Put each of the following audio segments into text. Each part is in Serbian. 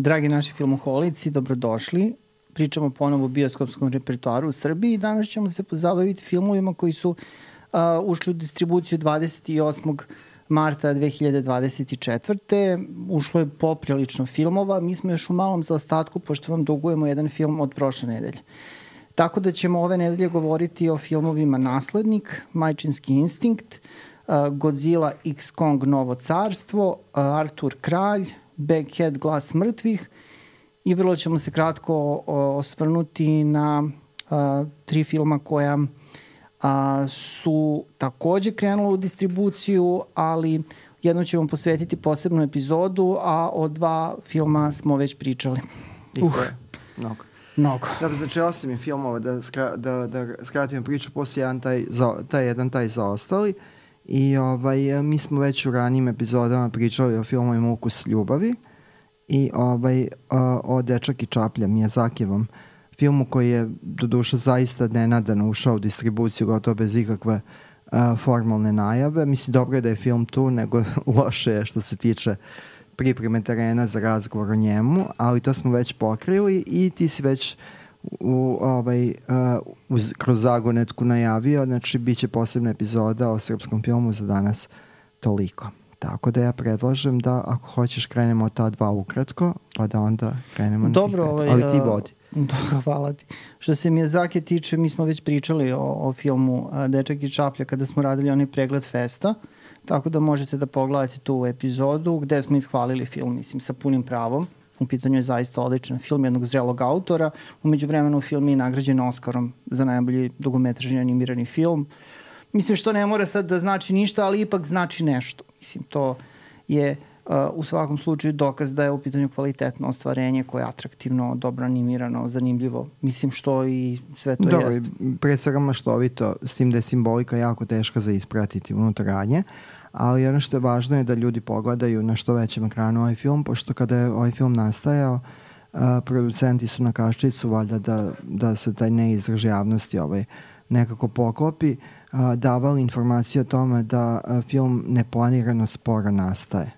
Dragi naši filmoholici, dobrodošli. Pričamo ponovo o bioskopskom repertoaru u Srbiji i danas ćemo se pozabaviti filmovima koji su ušli u distribuciju 28. marta 2024. Ušlo je poprilično filmova. Mi smo još u malom zaostatku, pošto vam dugujemo jedan film od prošle nedelje. Tako da ćemo ove nedelje govoriti o filmovima Naslednik, Majčinski instinkt, Godzilla X Kong Novo carstvo, Artur Kralj, Baghead Glas mrtvih i vrlo ćemo se kratko osvrnuti na tri filma koja su takođe krenula u distribuciju, ali jednom ćemo posvetiti posebnu epizodu, a o dva filma smo već pričali. Mnogo. Da, znači 8 je filmova, da skratimo priču, poslije taj zaostali. I mi smo već u ranijim epizodama pričali o filmovima Ukus ljubavi i o Dečak i čaplja, Miyazakijevom filmu koji je doduše zaista nenadano ušao u distribuciju gotovo bez ikakve formalne najave. Mislim, dobro je da je film tu, nego loše je što se tiče pripreme terena za razgovor o njemu, ali to smo već pokrili i ti si već kroz zagonetku najavio, znači bit će posebna epizoda o srpskom filmu za danas toliko. Tako da ja predlažem da ako hoćeš krenemo od ta dva ukratko, pa da onda krenemo na dobro, ali ti vodi. Dobro, hvala ti. Što se Miyazaki tiče, mi smo već pričali o filmu Dečak i čaplja kada smo radili onaj pregled festa, tako da možete da pogledate tu epizodu gde smo ishvalili film, mislim, sa punim pravom. U pitanju je zaista odličan film jednog zrelog autora. Umeđu vremenu film je nagrađen Oskarom za najbolji dugometražni animirani film. Mislim, što ne mora sad da znači ništa, ali ipak znači nešto. Mislim, to je u svakom slučaju dokaz da je u pitanju kvalitetno ostvarenje koje je atraktivno, dobro animirano, zanimljivo. Mislim, što i sve to dobro, jeste. Pre svega maštovito, s tim da je simbolika jako teška za ispratiti unutaranje, ali ono što je važno je da ljudi pogledaju na što većem ekranu ovaj film, pošto kada je ovaj film nastajao, producenti su na kaščicu valjda da se taj neizraž javnosti nekako poklopi, davali informacije o tome da film neplanirano sporo nastaje.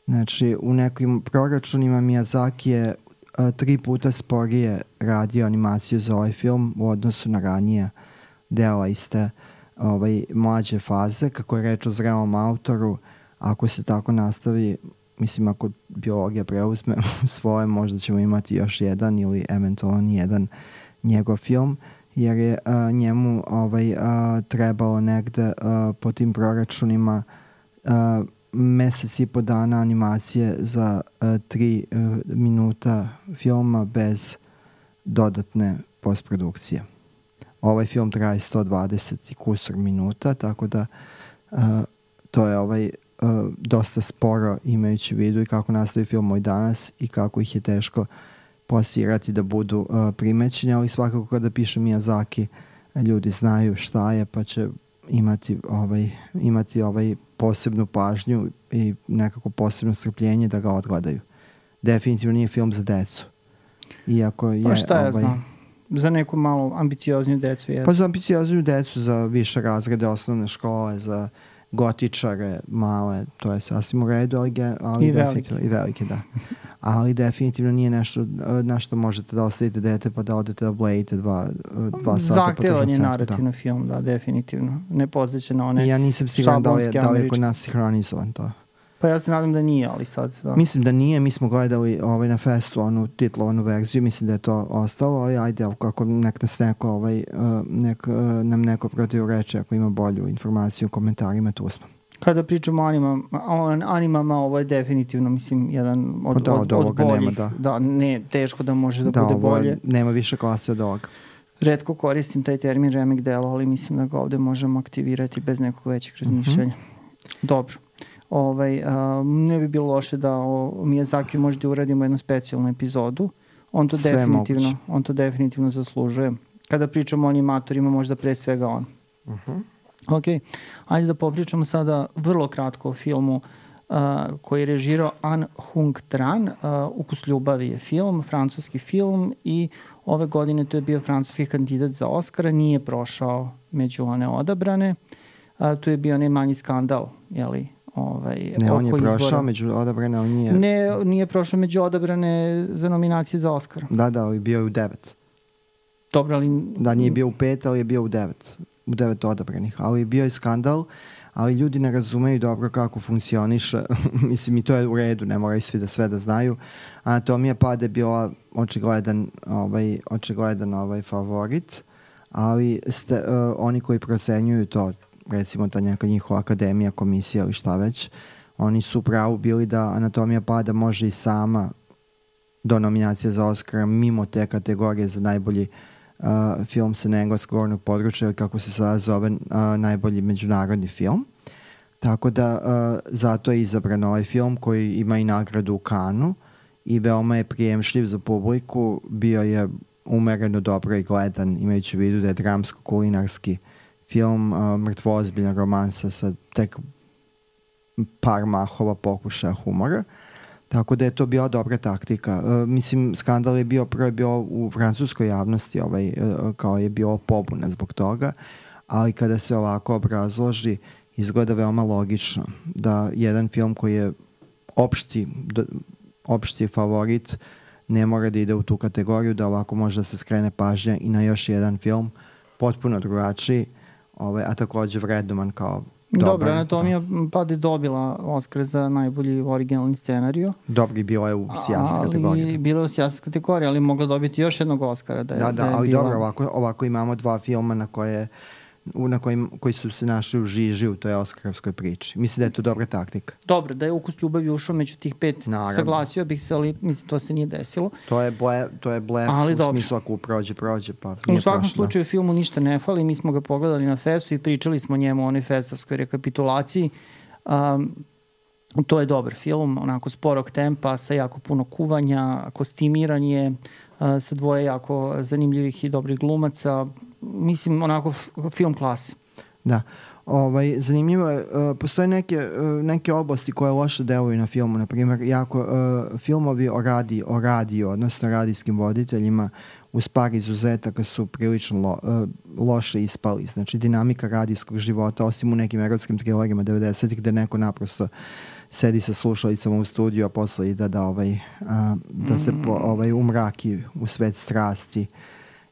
Znači, u nekim proračunima Miyazaki je 3 puta sporije radio animaciju za ovaj film u odnosu na ranije dela iste mlađe faze, kako je reč o zrelom autoru. Ako se tako nastavi, mislim, ako biologija preuzme svoje, možda ćemo imati još jedan ili eventualno jedan njegov film, jer je njemu trebalo negde po tim proračunima mesec i po dana animacije za 3 minuta filma bez dodatne postprodukcije. Ovaj film traje 120 i kusur minuta, tako da to je dosta sporo, imajući u vidu i kako nastavi film i danas i kako ih je teško plasirati da budu primećeni, ali svakako kada piše Miyazaki, ljudi znaju šta je, pa će imati posebnu pažnju i nekako posebno strpljenje da ga odgledaju. Definitivno nije film za decu. Iako je, pa šta ja znam? Za neku malo ambiciozniju decu je. Pa za ambiciozniju decu, za više razrede osnovne škole, za gotičare male, to je sasvim u redu, ali i velike. I velike, da. Ali definitivno nije nešto na što možete da ostavite dete pa da odete da blejite 2 sata. Zahtevan je narativno film, da, definitivno. Ne podsjeća na one ja nisam siguran da li je kod nas sinhronizovan to. Pa ja se nadam da nije, ali sad... Da. Mislim da nije, mi smo gledali na festu onu titlovanu verziju, mislim da je to ostalo, ali ajde, ako nek nas nam neko protivreče, ako ima bolju informaciju u komentarima, tu smo. Kada pričamo o animama, ovo je definitivno, mislim, jedan od boljih. Nema, da, ne, teško da može da bude bolje. Nema više klase od ovoga. Retko koristim taj termin remake delo, ali mislim da ga ovde možemo aktivirati bez nekog većeg razmišljanja. Dobro. Ne bi bilo loše da o Miyazaki možda uradimo jednu specijalnu epizodu. On to definitivno zaslužuje. Kada pričamo o animatorima, možda pre svega on. Ok, ajde da popričamo sada vrlo kratko o filmu koji je režirao An Hung Tran. Ukus ljubavi je film, francuski film, i ove godine to je bio francuski kandidat za Oscara, nije prošao među one odabrane. Tu je bio onaj manji skandal, Ne, on je oko prošao izbora. među odabrane, ali nije... Ne, nije prošao među odabrane za nominacije za Oscara. Da, ali bio je u 9. Dobro, ali... Da, nije bio u 5, ali je bio u 9. U 9 odabranih. Ali bio je skandal, ali ljudi ne razumeju dobro kako funkcioniše. Mislim, i to je u redu, ne moraju svi da sve da znaju. Anatomija pada je bila očigledan favorit, ali oni koji procenjuju to, recimo ta neka njihova akademija, komisija ili šta već, oni su pravu bili da Anatomija pada može i sama do nominacije za Oscara mimo te kategorije za najbolji film sa engleskog govornog područja, ili kako se sada zove, najbolji međunarodni film. Tako da zato je izabran ovaj film koji ima i nagradu u Cannesu i veoma je prijemšljiv za publiku, bio je umereno dobro i gledan, imajući u vidu da je dramsko-kulinarski film, mrtvo ozbiljna romansa sa tek par mahova pokušaja humora. Tako da je to bila dobra taktika. Mislim, skandal je bio u francuskoj javnosti, kao je bilo pobuna zbog toga, ali kada se ovako obrazloži, izgleda veoma logično da jedan film koji je opšti favorit ne mora da ide u tu kategoriju, da ovako može da se skrene pažnja i na još jedan film potpuno drugačiji, a također vrednovan kao dobar. Dobro, Anatomija pada je dobila Oscar za najbolji originalni scenariju. Dobri bilo je u sjasnoj kategoriji. Bilo je u sjasnoj kategoriji, ali mogla dobiti još jednog Oscara. Ali dobro, ovako imamo dva filma koji su se našli u žiži u toj oskarovskoj priči. Mislim da je to dobra taktika. Dobro, da je Ukus ljubavi ušao među tih 5, saglasio bih se, ali mislim to se nije desilo. To je blef u smislu ako prođe, pa u svakom slučaju filmu ništa ne fali, mi smo ga pogledali na festu i pričali smo o njemu, o onoj festovskoj rekapitulaciji. To je dobar film, onako sporog tempa, sa jako puno kuvanja, kostimiranje, sa dvoje jako zanimljivih i dobrih glumaca. Mislim, onako film klase. Da. Zanimljivo je, postoje neke oblasti koje loše deluju na filmu, na primjer, filmovi o radiju, odnosno radijskim voditeljima uz par izuzetaka su prilično loše ispali. Znači, dinamika radijskog života, osim u nekim erotskim trilerima 90-ih, gde neko naprosto sedi sa slušalicama u studiju, a posle ide da se umraki u svet strasti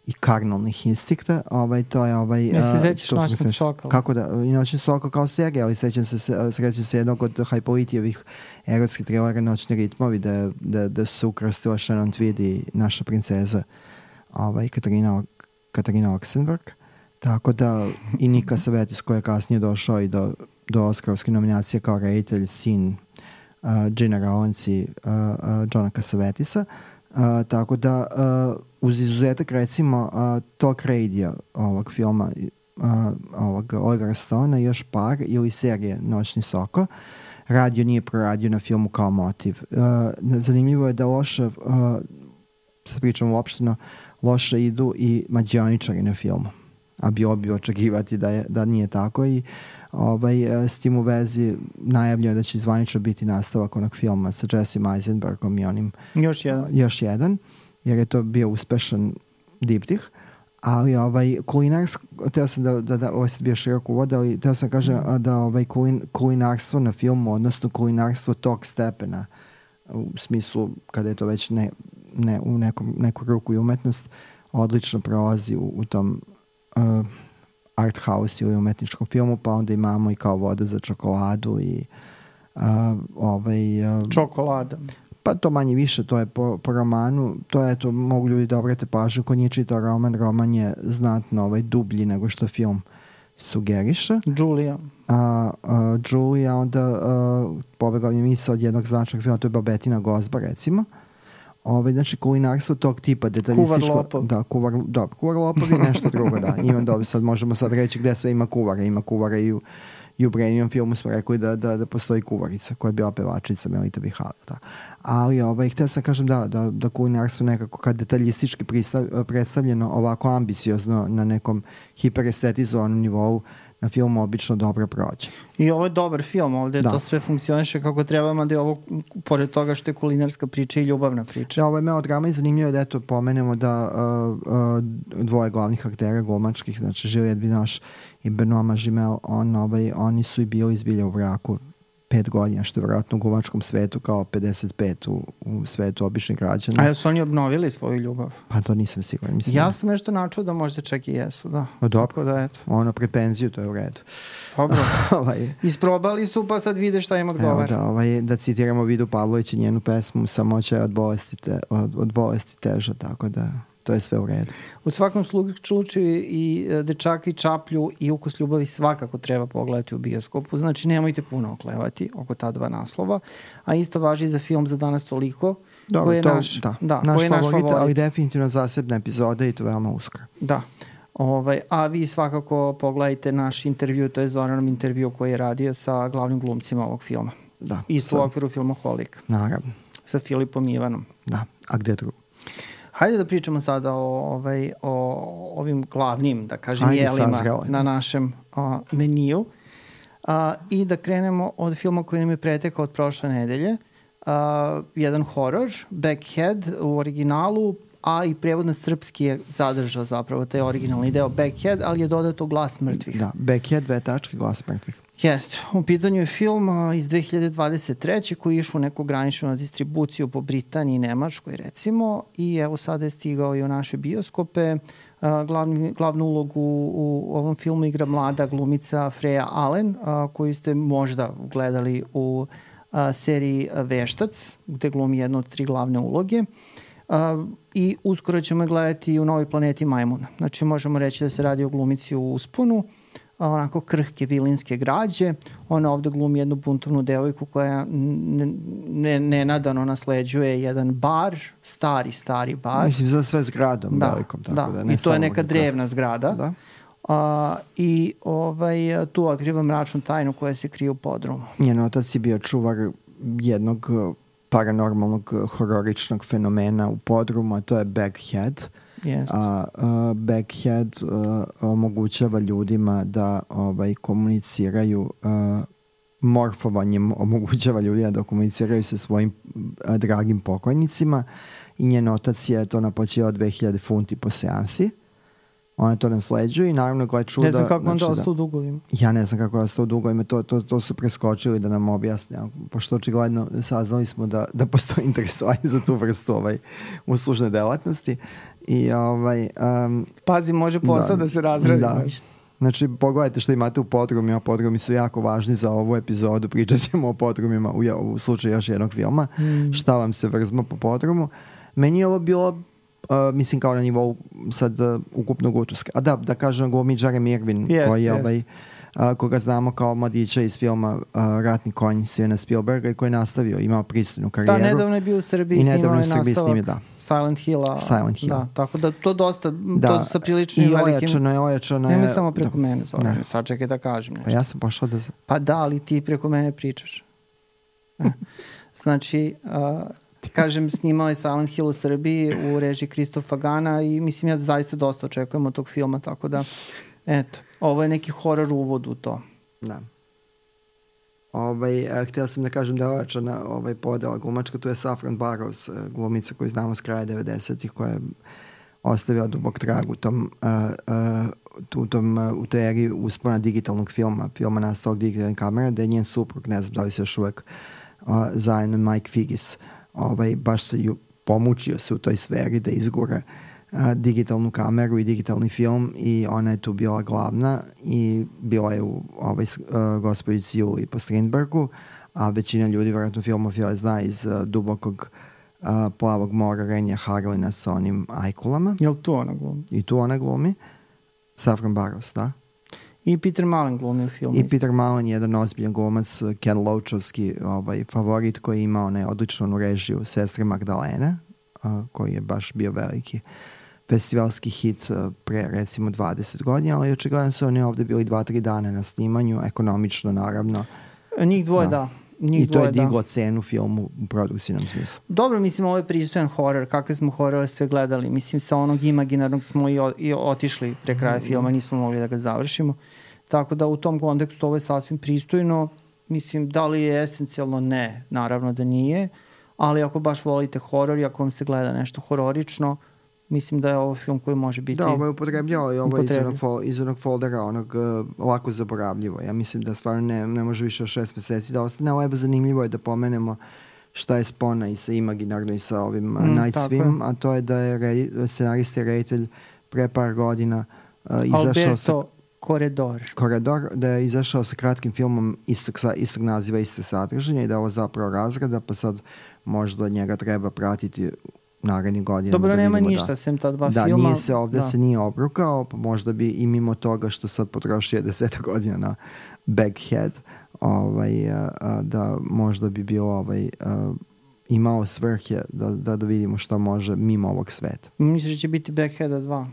i karnalnih instinkta. To je Ne se sećaš Noćnog Sokala? Kako da, i Noćni Sokal kao serija, ali srećam se jednog od Hajpolitijevih erotskih trilera Noćni ritmovi, da se ukrstila Shannon Tweed i naša princeza Katarina Oxenberg. Tako da i Nika Savetis, koji je kasnije došao i do Oskarovske nominacije kao reditelj, sin Gina Rowlands i Johna Cassavetisa. Tako da uz izuzetak recimo Talk Radio ovog filma ovog Olivera Stona i još par ili serije Noćni Soko, radio nije proradio na filmu kao motiv. Zanimljivo je da loše, sad pričamo uopšteno, loše idu i mađioničari na filmu, a bilo bi očekivati da nije tako i s tim u vezi najavljeno da će zvanično biti nastavak onog filma sa Jesse Eisenbergom i onim još jedan, jer je to bio uspešan diptih, ali kulinarsko, teo sam da ovo je sad bio širok uvod, ali teo sam kažem da kulinarstvo na filmu, odnosno kulinarstvo tog stepena, u smislu kada je to već ne u neku ruku i umetnost, odlično prolazi u tom art house ili umetničkom filmu, pa onda imamo i kao Voda za čokoladu i čokolada. Pa to manje više, to je po romanu, to je, to mogu ljudi da obrate pažnju, ko nije čitao roman je znatno dublji nego što film sugeriše. Julia, onda pobegao mi misao od jednog značajnog filma, to je Babetina gozba, recimo. Znači, kulinarstvo tog tipa, detaljističko... Kuvar lopov je nešto drugo, da. Sad možemo reći gde sve ima kuvara. Ima kuvara i u Breninom filmu smo rekli da postoji kuvarica koja je bila pevačica Melita Bihala. Da. Ali htio sam kažem da kulinarstvo nekako kad detaljistički predstavljeno ovako ambiciozno na nekom hiperestetizovanom nivou na filmu obično dobro prođe. I ovo je dobar film, ovde to sve funkcioniše kako treba, mada je ovo, pored toga što je kulinarska priča i ljubavna priča. Da, ovo je melodrama i zanimljivo da pomenemo da dvoje glavnih aktera glumačkih, znači Juliette Binoche i Benoît Magimel, oni su i bili izbilja u braku 5 godina, što je vjerojatno u glumačkom svetu kao 55 u svetu običnih građana. A jesu oni obnovili svoju ljubav? Pa to nisam siguran. Mislim, ja sam nešto načuo da možda čak i jesu, da. Dobro, da, eto. Ono pred penziju, to je u redu. Dobro. Isprobali su, pa sad vide šta im odgovara. Evo da citiramo Vidu Pavlović i njenu pesmu Samoća je od bolesti teža, tako da to je sve u redu. U svakom slučaju i Dečaka i Čaplju i Ukus ljubavi svakako treba pogledati u bioskopu, znači nemojte puno oklevati oko ta dva naslova, a isto važi i za film Za danas toliko, dobro, koji je naš favorit, ali definitivno zasebna epizoda i to veoma uskoro. Da. A vi svakako pogledajte naš intervju, to je Zoranom intervju koji je radio sa glavnim glumcima ovog filma. Da. Isto u okviru Filmoholik. Naravno. Sa Filipom Ivanom. Da, a gde drugo? Hajde da pričamo sada o ovim glavnim, da kažem, jelima na našem meniju i da krenemo od filma koji nam je pretekao od prošle nedelje. Jedan horor, Backhead u originalu, a i prevod na srpski je zadržao zapravo taj originalni deo Backhead, ali je dodato Glas mrtvih. Da, Backhead, Glas mrtvih. Jeste. U pitanju je film iz 2023. koji je išao u neku graničnu distribuciju po Britaniji i Nemačkoj recimo i evo sada je stigao i u naše bioskope. Glavnu ulogu u ovom filmu igra mlada glumica Freya Allen koju ste možda gledali u seriji Veštac gde glumi jednu od 3 glavne uloge. I uskoro ćemo je gledati u Novoj planeti Majmuna. Znači možemo reći da se radi o glumici u usponu, onako krhke vilinske građe. Ona ovde glumi jednu buntovnu devojku koja nenadano nasleđuje jedan bar, stari bar. Mislim za sve zgradom. Da, velikom, tako da. I to je neka drevna zgrada. Da. I tu otkriva mračnu tajnu koja se krije u podrumu. Njen otac je bio čuvar jednog paranormalnog hororičnog fenomena u podrumu, a to je Backhead. Backhead omogućava ljudima da komuniciraju morfovanjem, omogućava ljudima da komuniciraju sa svojim dragim pokojnicima i njen otac je to naplaćivao 2000 funti po seansi. Ona to nasleđuje i naravno gleda čuda. Ne znam kako on ostao u dugovima. Ja ne znam kako je ostao u dugovima. To su preskočili da nam objasne. Pošto očigledno saznali smo da postoji interesovanje za tu vrstu uslužne delatnosti. I, pazi, može posao da se razradi. Da. Znači, pogledajte što imate u podrumima. Podrumi su jako važni za ovu epizodu. Pričat ćemo o podrumima u slučaju još jednog filma. Šta vam se vrzma po podrumu. Meni je ovo bilo mislim kao na nivou sad ukupnog utuska. A da kažem glumi Jeremy Irvin koji je koga znamo kao mladića iz filma Ratni konj Stevena Spielberga i koji je nastavio, imao pristojnu karijeru. Da, nedavno je bio u Srbiji, snimao je nastavak Silent Hill. Da, tako da to dosta, to sa priličnim velikim... I ojačano je... Nemoj samo preko mene, Zoran, sad čekaj da kažem nešto. Pa ja sam pošao da... Pa da, ali ti preko mene pričaš. Znači... kažem, snimao je Silent Hill u Srbiji u režiji Kristofa Gana i mislim ja zaista dosta očekujem od tog filma, tako da eto, ovo je neki horor uvod u to. Da. Htio sam da kažem da je ojačana podela glumačka, tu je Saffron Burrows, glumica koju znamo s kraja 90-ih, koja je ostavila dubok trag u toj eri uspona digitalnog filma nastalog digitalne kamere, da je njen suprug, ne znam da li se još uvek zajedno Mike Figgis, baš se pomučio se u toj sferi da izgura digitalnu kameru i digitalni film i ona je tu bila glavna i bila je u Gospođici Juliji po Strindbergu, a većina ljudi vjerojatno filmofila zna iz Dubokog plavog mora Renja Harlina sa onim ajkulama. Jel tu ona glumi? I tu ona glumi. Saffron Burrows, da. I Peter Mullen glumi u filmu. I Peter Mullen je jedan ozbiljan glumac, Ken Loachovski favorit koji ima odličnu režiju Sestre Magdalene, koji je baš bio veliki festivalski hit pre recimo 20 godina, ali očigledno su oni ovde bili 2-3 dana na snimanju, ekonomično naravno. Njih dvoje da. I to je diglo cenu filmu u produkcijnom smislu. Dobro, mislim, ovo je pristojan horor. Kakve smo horore sve gledali? Mislim, sa onog imaginarnog smo i otišli pre kraja filma, nismo mogli da ga završimo. Tako da u tom kontekstu ovo je sasvim pristojno. Mislim, da li je esencijalno? Ne, naravno da nije. Ali ako baš volite horor i ako vam se gleda nešto hororično, mislim da je ovo film koji može biti... Da, ovo je upotrebljava i ovo je iz onog foldera, onog lako zaboravljivo. Ja mislim da stvarno ne može više od 6 meseci da ostane. Ovo je zanimljivo je da pomenemo šta je spona i sa Imaginarno i sa ovim Night Swim, a to je da je scenarista i reditelj pre par godina izašao sa... Koridor, da je izašao sa kratkim filmom istog naziva, iste sadržanja i da je ovo zapravo razrada, pa sad možda od njega treba pratiti narednih godina. Dobro, nema ništa sem ta dva filma. Ovde se nije obrukao, pa možda bi i mimo toga što sad potrošio 10 godina na Baghead, da možda bi bio imao svrhe da vidimo šta može mimo ovog sveta. Misliš da će biti Bagheada 2?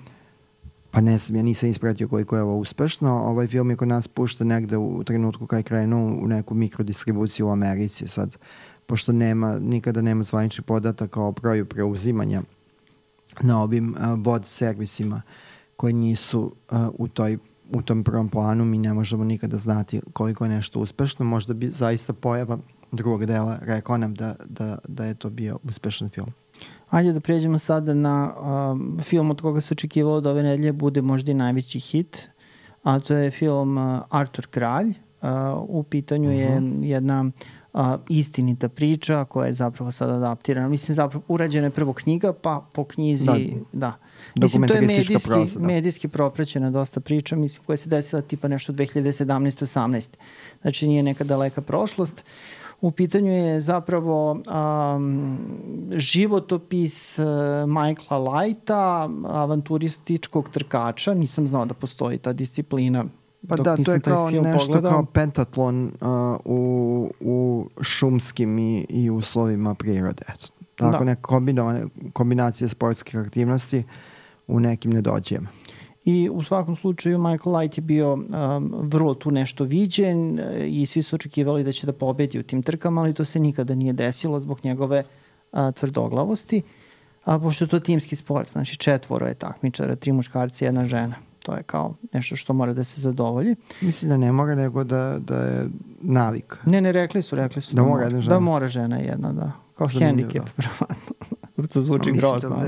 Pa ne znam, ja nisam ispratio koliko je ovo uspešno. Ovaj film je kod nas pušta negde u trenutku kada je krenuo u neku mikrodistribuciju u Americi. Sad, pošto nikada nema zvaničnih podataka o broju preuzimanja na ovim VOD servisima koji nisu u tom prvom planu, mi ne možemo nikada znati koliko je nešto uspešno. Možda bi zaista pojava drugog dela rekao nam da je to bio uspešan film. Ajde da prijeđemo sada na film od koga se očekivalo da ove nedelje bude možda i najveći hit, a to je film Artur Kralj. U pitanju je jedna istinita priča koja je zapravo sad adaptirana. Mislim, zapravo urađena je prvo knjiga, pa po knjizi, da. Mislim, to je medijski propraćena dosta priča, mislim, koja se desila tipa nešto 2017-18. Znači, nije neka daleka prošlost. U pitanju je zapravo životopis Michaela Lighta, avanturističkog trkača. Nisam znao da postoji ta disciplina. Pa da, to je kao nešto kao pentatlon u šumskim i uslovima prirode. Tako neka kombinacija sportskih aktivnosti u nekim nedođajima. I u svakom slučaju Michael Light je bio vrlo tu nešto viđen i svi su očekivali da će da pobedi u tim trkama, ali to se nikada nije desilo zbog njegove tvrdoglavosti. Pošto je to timski sport, znači 4 je takmičara, 3 muškarci, 1 žena. To je kao nešto što mora da se zadovolji. Mislim da ne mora, nego da je navik. Ne, rekli su da mora jedna žena. Da mora žena jedna, da. Kao hendikep, verovatno. To zvuči grozno.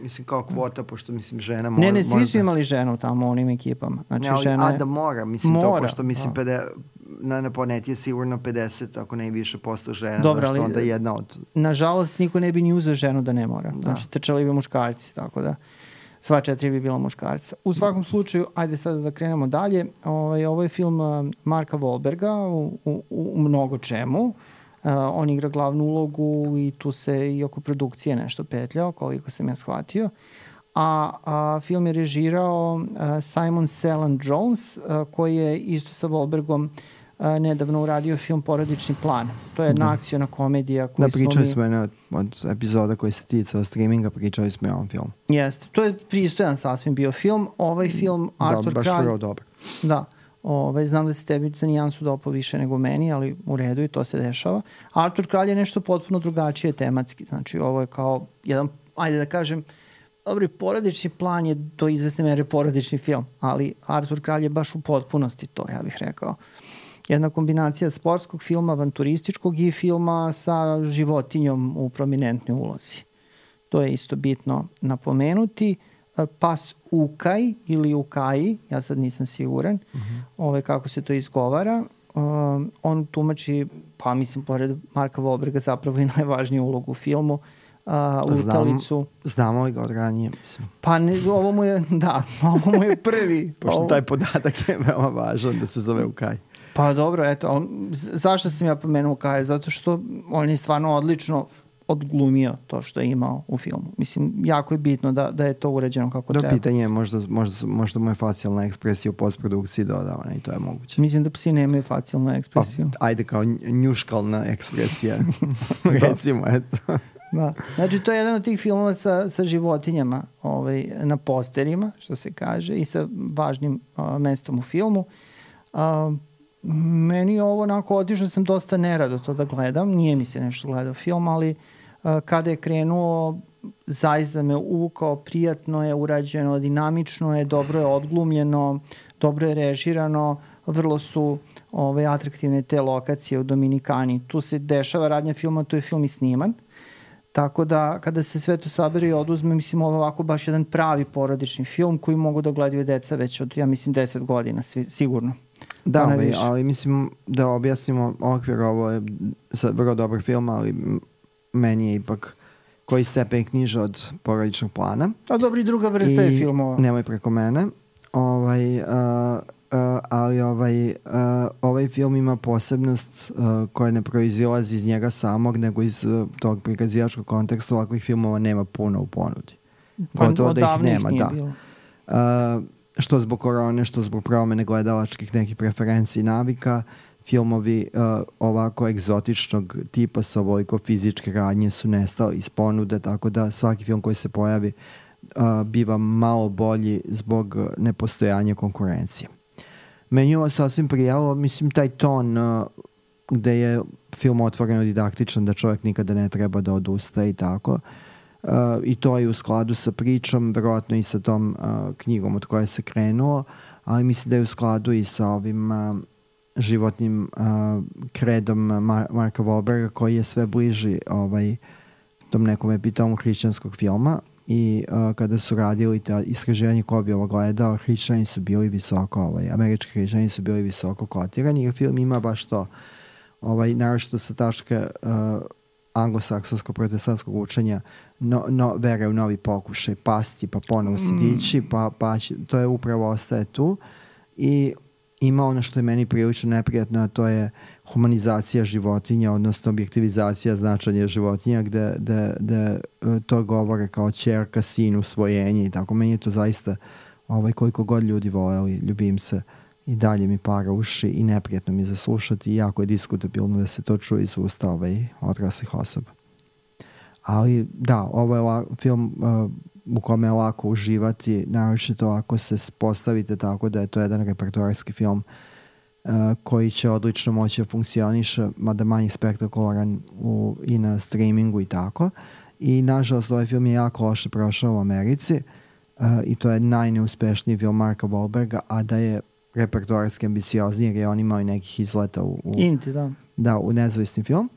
Mislim kao kvota, pošto mislim žena mora... Ne, svi su imali ženu tamo u onim ekipama. Znači, da mora, mislim to, pošto mislim na planeti je sigurno 50, ako ne i više posto žena. Dobro, ali onda jedna od... Nažalost, niko ne bi ni uzeo ženu da ne mora. Znači, trčali bi muškarci, tako da sva 4 bi bila muškarca. U svakom slučaju, ajde sada da krenemo dalje. Ovo je film Marka Wahlberga u mnogo čemu. On igra glavnu ulogu i tu se i oko produkcije nešto petljao, koliko sam ja shvatio. A film je režirao Simon Cellan Jones, koji je isto sa Wahlbergom nedavno uradio film Porodični plan. To je jedna akciona komedija. Pričali smo od epizoda koji se ticao streaminga, pričali smo i o ovom filmu. Jeste. To je pristojan sasvim bio film. Ovaj film Artur Kralj... Da, baš vrlo dobro. Da. Znam da se tebi za nijansu dopao više nego meni, ali u redu i to se dešava. Artur Kralj je nešto potpuno drugačije tematski. Znači, ovo je kao jedan, ajde da kažem, dobri, porodični plan je do izvesne mere porodični film, ali Artur Kralj je baš u potpunosti to, ja bih rekao. Jedna kombinacija sportskog filma, avanturističkog i filma sa životinjom u prominentnoj ulozi. To je isto bitno napomenuti. Pas Ukaj ili Ukaji, ja sad nisam siguran kako se to izgovara. On tumači, pa mislim, pored Marka Wahlberga zapravo i najvažniju ulogu u filmu, lutalicu. Znamo ga od ranije, mislim. Pa ovo mu je prvi. Pošto taj podatak je veoma važan da se zove Ukaj. Pa dobro, eto, zašto sam ja pomenuo Ukaj? Zato što on je stvarno odlično odglumio to što je imao u filmu. Mislim, jako je bitno da je to urađeno kako treba. Pitanje je možda mu je facijalna ekspresija u postprodukciji dodavana i to je moguće. Mislim da psi nemaju facijalnu ekspresiju. Pa, ajde kao njuškalna ekspresija. Recimo, eto. Da. Znači, to je jedan od tih filmova sa životinjama na posterima, što se kaže, i sa važnim mestom u filmu. Meni je ovo onako otišao sam dosta nerado to da gledam. Nije mi se nešto gledao film, ali kada je krenuo, zaista me uvukao, prijatno je urađeno, dinamično je, dobro je odglumljeno, dobro je režirano, vrlo su atraktivne te lokacije u Dominikani. Tu se dešava radnja filma, tu je film i sniman. Tako da kada se sve to sabere i oduzme, mislim ovo ovako baš jedan pravi porodični film koji mogu da gledaju deca već od, ja mislim, 10 godina, sigurno. Da, ali mislim da objasnimo okvir, ovo je vrlo dobar film, ali meni je ipak koji stepen knjiže od porodičnog plana. A dobro, i druga vrsta je filmova. Nemoj preko mene. Ali ovaj film ima posebnost koja ne proizilazi iz njega samog, nego iz tog prikazivačkog konteksta. Ovakvih filmova nema puno u ponudi. Gotovo da ih nema, da. Što zbog korone, što zbog promene gledalačkih nekih preferenciji i navika, filmovi ovako egzotičnog tipa sa ovoliko fizičke radnje su nestali iz ponude, tako da svaki film koji se pojavi biva malo bolji zbog nepostojanja konkurencije. Meni je ovo sasvim prijalo, mislim, taj ton gde je film otvoreno didaktičan, da čovjek nikada ne treba da odustaje i tako. I to je u skladu sa pričom, verovatno i sa tom knjigom od koje se krenuo, ali mislim da je u skladu i sa ovim životnim kredom Marka Wahlberga, koji je sve bliži tom nekom epitomu hrišćanskog filma. I kada su radili ta istraživanje ko bi ovo gledao, hrišćani su bili visoko, američki hrišćani su bili visoko kotirani, jer film ima baš to, naročito sa tačke anglosaksonsko-protestantskog učenja, vere u novi pokušaj, pasti, pa ponovo se dići, pa to je upravo ostaje tu. I ima ono što je meni prilično neprijatno, a to je humanizacija životinja, odnosno objektivizacija značanja životinja, gde to govore kao ćerka, sin, usvojenje i tako. Meni je to zaista, koliko god ljudi voleli, ljubim se, i dalje mi para uši i neprijatno mi zaslušati i jako je diskutabilno da se to čuje iz usta odraslih osoba. Ali da, ovo je film u kome je lako uživati, naročito ako se postavite tako da je to jedan repertoarski film koji će odlično moći da funkcioniše, mada manje spektakularan i na streamingu i tako. I nažalost ovaj film je jako loše prošao u Americi i to je najneuspešniji film Marka Wahlberga, a da je repertoarski ambiciozni, jer je on imao i nekih izleta u nezavisni film.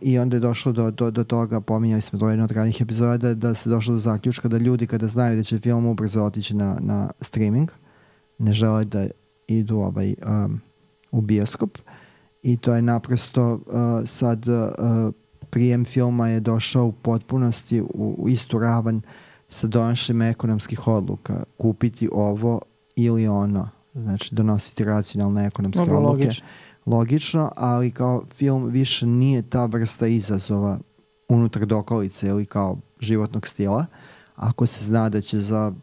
I onda je došlo do toga, pominjali smo to u jednoj od ranih epizoda, da se došlo do zaključka da ljudi kada znaju da će film ubrzo otići na streaming, ne žele da idu u bioskop, i to je naprosto sad prijem filma je došao u potpunosti u istu ravan sa donošenjem ekonomskih odluka, kupiti ovo ili ono, znači donositi racionalne ekonomske odluke. Logično, ali kao film više nije ta vrsta izazova unutar dokolice ili kao životnog stila. Ako se zna da će za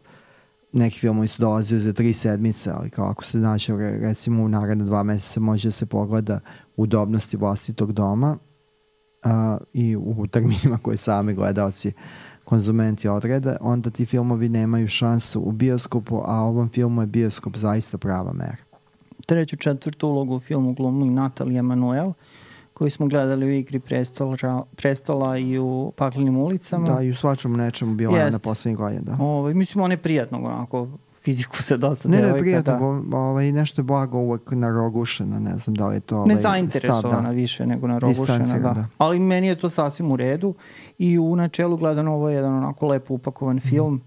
neki filmovi su dolazili za 3 sedmice, ali kao ako se zna će recimo u naredne 2 meseca može da se pogleda udobnosti vlastitog doma i u terminima koje sami gledalci konzumenti odrede, onda ti filmovi nemaju šansu u bioskopu, a ovom filmu je bioskop zaista prava mera. 3. 4. ulogu u filmu glumi Natalie Emanuel, koju smo gledali u Igri prestola i u Paklenim ulicama. Da, i u svačemu nečemu bila je na poslednjih godina. Mislim, on je prijatno, onako, fiziku se dosta devojka. Ne, prijatno, nešto je blago uvek narogušeno, ne znam da li je to nezainteresovana više nego narogušena, da. Ali meni je to sasvim u redu i u načelu gledano ovo je jedan onako lepo upakovan film,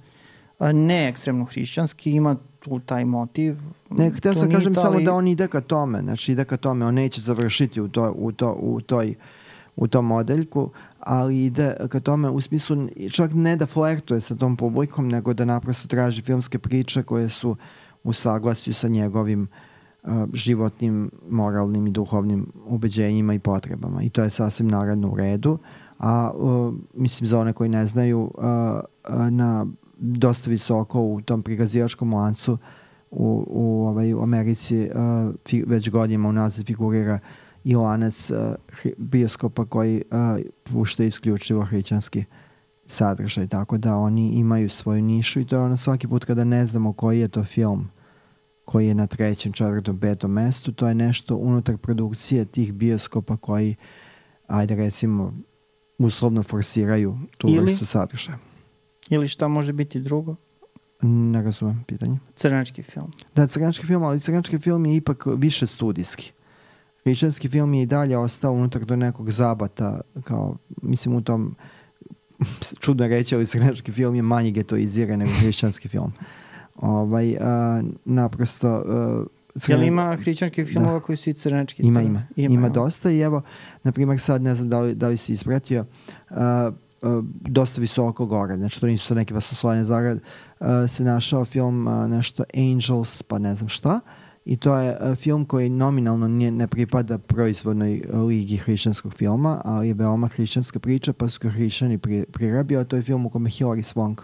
ne ekstremno hrišćanski, ima tu taj motiv. Ne, htio sam kažem samo da on ide ka tome, znači ide ka tome, on neće završiti u tom modeljku, ali ide ka tome u smislu čak ne da flertuje sa tom publikom, nego da naprosto traži filmske priče koje su u saglasju sa njegovim životnim, moralnim i duhovnim ubeđenjima i potrebama. I to je sasvim naravno u redu. A mislim za one koji ne znaju, na dosta visoko u tom prikazivačkom lancu u Americi već godinama unazad figurira i lanac bioskopa koji pušta isključivo hrišćanski sadržaj, tako da oni imaju svoju nišu i to je ono svaki put kada ne znamo koji je to film koji je na 3., 4., 5. mestu, to je nešto unutar produkcije tih bioskopa koji, ajde recimo, uslovno forsiraju tu vrstu sadržaja. Ili šta može biti drugo? Ne razumem pitanje. Crnački film. Da, crnački film, ali crnački film je ipak više studijski. Hrišćanski film je i dalje ostao unutar do nekog zabata, kao, mislim u tom čudno reći, ali crnački film je manje getoiziran nego hrišćanski film. Naprosto jel ima hrišćanskih filmova koji su i crnački? Ima dosta i evo, na primjer sad ne znam da li si ispratio dosta visoko gore, znači to nisu sad neke vasoslovene zarad, se našao film nešto Angels pa ne znam šta i to je film koji nominalno ne pripada proizvodnoj ligi hrišćanskog filma, ali je veoma hrišćanska priča pa su ga hrišćani prirabio. To je film u kome Hilary Swank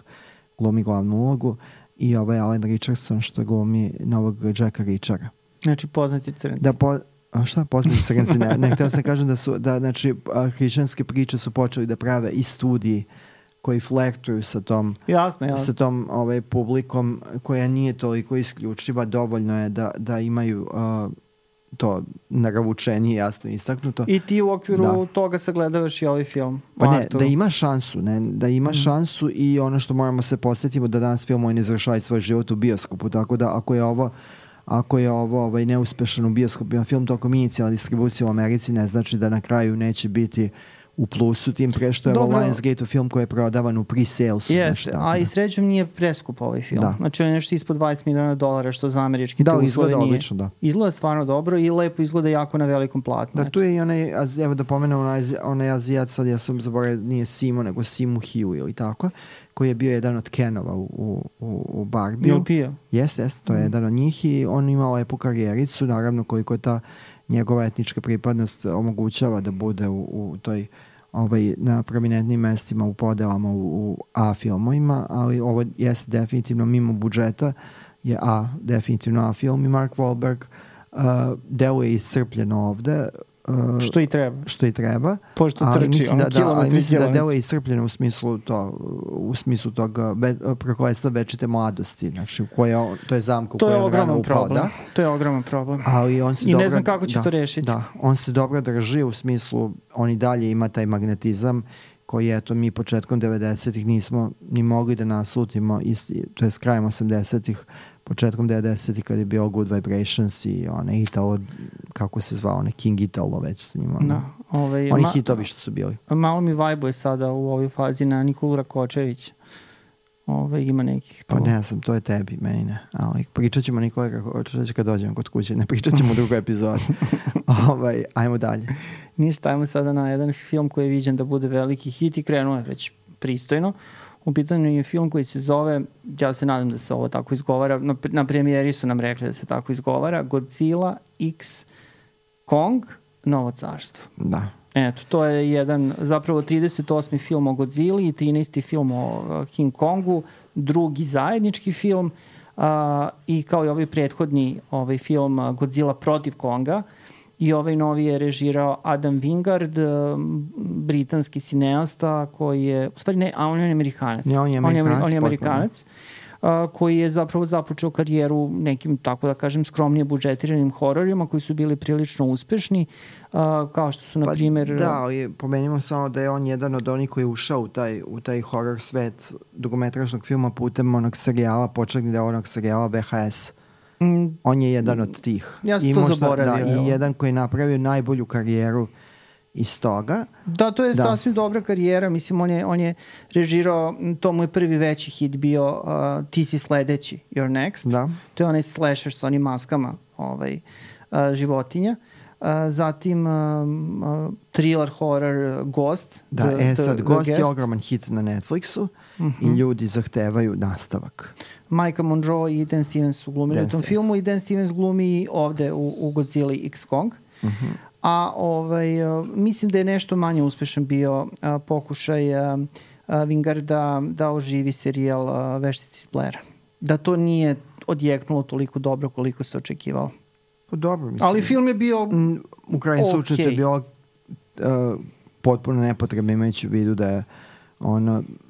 glumi glavnu ulogu i Alan Richardson što glumi novog Jacka Richara. Znači poznati crnci. Šta poznati crnci? Ne, htio sam kažem znači hrišćanske priče su počeli da prave i studiji koji flirtuju sa tom sa tom publikom koja nije toliko isključiva, dovoljno je da imaju to naravučenije jasno istaknuto. I ti u okviru toga sagledavaš i ovaj film. Pa ne, da ima šansu, da ima šansu i ono što moramo se posjetimo da danas filmovi ne završavaju svoj život u bioskopu, tako da ako je ovo neuspešan u bioskopima film tokom inicijalne distribucije u Americi, ne znači da na kraju neće biti u plusu, tim pre što je Lionsgate film koji je prodavan u pre-salesu. Jeste, a i srećom nije preskup ovaj film. Da. Znači on je nešto ispod $20 miliona što za američki uslove nije. Izgleda odlično, da. Izgleda stvarno dobro i lepo izgleda jako na velikom platnu. Da, tu je i evo da pomenemo, onaj Azijat, sad ja sam zaboravio, nije Simo, nego Simu Hiu ili tako, koji je bio jedan od Kenova u Barbie. Jel pio? Jeste, to je jedan od njih i on imao lepu karijericu, naravno koliko je ta njegova etnička pripadnost omogućava da bude u toj na prominentnim mestima u podelama u A filmovima, ali ovo jeste definitivno mimo budžeta, je definitivno A film i Mark Wahlberg deluje iscrpljeno ovde. Što i treba. Pošto trči, mislim da deluje iscrpljeno u smislu tog prokletstva večite mladosti, znači to je zamka u kojoj on rano upao. To je ogroman problem. I ne znam kako će to rešiti. Da, on se dobro drži u smislu, on i dalje ima taj magnetizam koji mi početkom 90-ih nismo ni mogli da naslutimo, to je s krajem 80-ih, početkom 90-ih kad je bio Good Vibrations i onaj Italo, kako se zvao, onaj King Italo već sa njima. Oni hitovi što su bili. Malo mi vajbuje sada u ovoj fazi na Nikolu Rakočević. Ima nekih to. Pa ne znam, to je tebi, meni ne. Ali pričat ćemo Nikola Rakočević kad dođemo kod kuće, ne pričat ćemo u drugoj epizodi. Ajmo dalje. Ništa, ajmo sada na jedan film koji je viđen da bude veliki hit i krenuo je već pristojno. U pitanju je film koji se zove, ja se nadam da se ovo tako izgovara, na premijeri su nam rekli da se tako izgovara, Godzilla X Kong, Novo carstvo. Da. Eto, to je jedan, zapravo 38. film o Godzilli i 13. film o King Kongu, drugi zajednički film i kao i ovaj prethodni film Godzilla protiv Konga. I ovaj novi je režirao Adam Wingard, britanski cineasta koji je, u stvari ne, on je Amerikanac. On je Amerikanac, koji je zapravo započeo karijeru nekim, tako da kažem, skromnije budžetiranim hororima koji su bili prilično uspešni, kao što su, na primjer... Da, ali pomenimo samo da je on jedan od onih koji je ušao u taj horor svet dugometražnog filma putem onog serijala, početnog dela onog serijala VHS. On je jedan od tih. Ja sam to zaboravio. I jedan koji je napravio najbolju karijeru iz toga. Da, to je sasvim dobra karijera. Mislim, on je režirao, to mu je prvi veći hit bio Ti si sledeći, You're Next. Da. To je onaj slasher sa onim maskama životinja. Zatim thriller horror Ghost. Da, sad Ghost je ogroman hit na Netflixu i ljudi zahtevaju nastavak. Micah Monroe i Dan Stevens su glumili u tom filmu i Dan Stevens glumi ovde u Godzilla X Kong. A mislim da je nešto manje uspešan bio pokušaj Wingarda da oživi serijal Veštici iz Blaira. Da to nije odjeknulo toliko dobro koliko se očekivalo. Dobro, mislim. Ali film je bio u krajnjem slučaju je bilo potpuno nepotrebno, imajući u vidu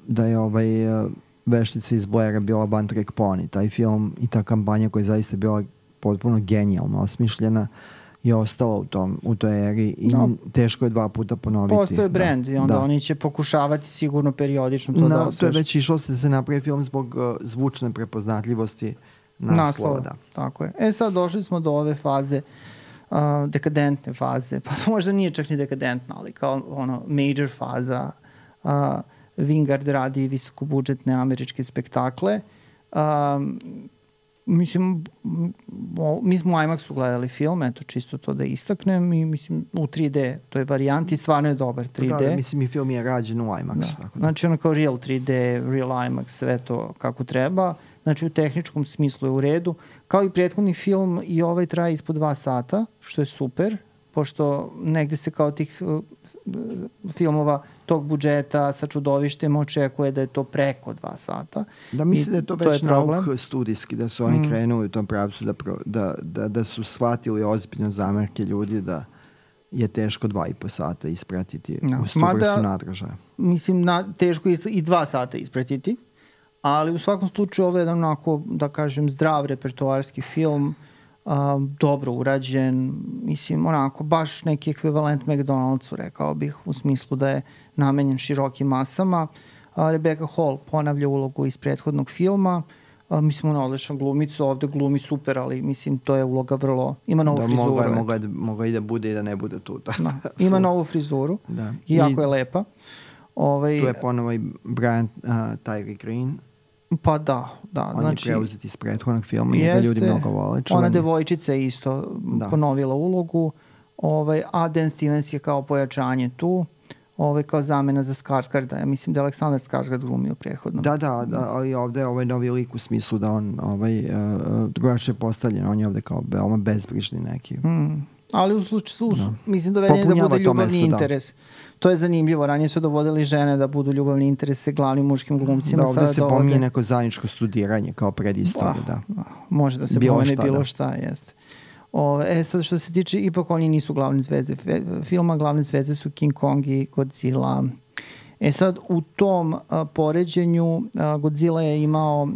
da je Veštica iz Blaira bila one track pony. Taj film i ta kampanja koja je zaista bila potpuno genijalno osmišljena je ostala u toj eri i teško je 2 puta ponoviti. Postoje brand i onda oni će pokušavati sigurno periodično to da osveže. To je već išlo se napravi film zbog zvučne prepoznatljivosti naslova. Tako je. Sad došli smo do ove faze, dekadentne faze, pa možda nije čak ni dekadentna, ali kao major faza Wingard radi visokobudžetne američke spektakle. Mislim, mi smo u IMAX-u gledali film, eto, čisto to da istaknem, i mislim, u 3D, to je varijanti, stvarno je dobar 3D. Da, mislim, i film je rađen u IMAX-u. Da. Znači, ono kao real 3D, real IMAX, sve to kako treba. Znači, u tehničkom smislu je u redu. Kao i prethodni film, i ovaj traje ispod 2 sata, što je super, pošto negde se kao tih filmova tog budžeta sa čudovištem očekuje da je to preko 2 sata. Da, mislim da je to već nauk studijski, da su oni krenuli u tom pravcu, da su shvatili ozbiljno zamerke ljudi da je teško 2,5 sata ispratiti uz tu vrstu nadražaja. Mislim, teško i 2 sata ispratiti, ali u svakom slučaju ovo je jedan onako, da kažem, zdrav repertoarski film, dobro urađen, mislim, onako, baš neki ekvivalent McDonald'su, rekao bih, u smislu da je namenjen širokim masama. Rebecca Hall ponavlja ulogu iz prethodnog filma, mislim, ona odlična glumica, ovde glumi super, ali mislim, to je uloga vrlo, ima novu frizuru. Mogla i da bude i da ne bude tu. Da, ima novu frizuru i jako je lepa. Tu je ponovo i Brian Tyree Green. Pa da. On znači, je preuzeti iz prethodnog filma, njega ljudi mnogo vole. Ona devojčica je isto ponovila ulogu, a Dan Stevens je kao pojačanje tu, kao zamena za Skarsgarda. Ja mislim da je Aleksandar Skarsgard glumio prethodno. Da, ali ovde je novi lik u smislu da on drugačije postavljen, on je ovde kao veoma bezbrižni neki. Ali u slučaju, mislim doveden da bude ljubavni interes. To je zanimljivo. Ranije su dovodili žene da budu ljubavni interes sa glavnim muškim glumcima. Da, ovde se pominje neko zajedničko studiranje kao predistorije, da. Može da se pomene bilo šta, jeste. Sad što se tiče, ipak oni nisu glavne zvezde filma, glavne zvezde su King Kong i Godzilla. Sad u tom poređenju Godzilla je imao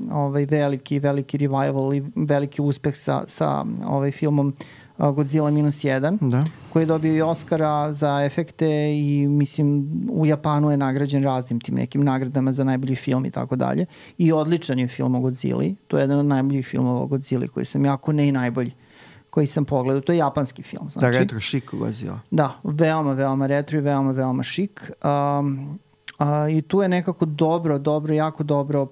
veliki revival i veliki uspeh sa filmom Godzilla -1, koji je dobio i Oscara za efekte i mislim u Japanu je nagrađen raznim tim nekim nagradama za najbolji film i tako dalje. I odličan je film o Godzilli. To je jedan od najboljih filmova o Godzilli koji sam jako ne i najbolji koji sam pogledao. To je japanski film. Znači, da, retro šik Godzilla. Da, veoma retro i veoma šik. I tu je nekako jako dobro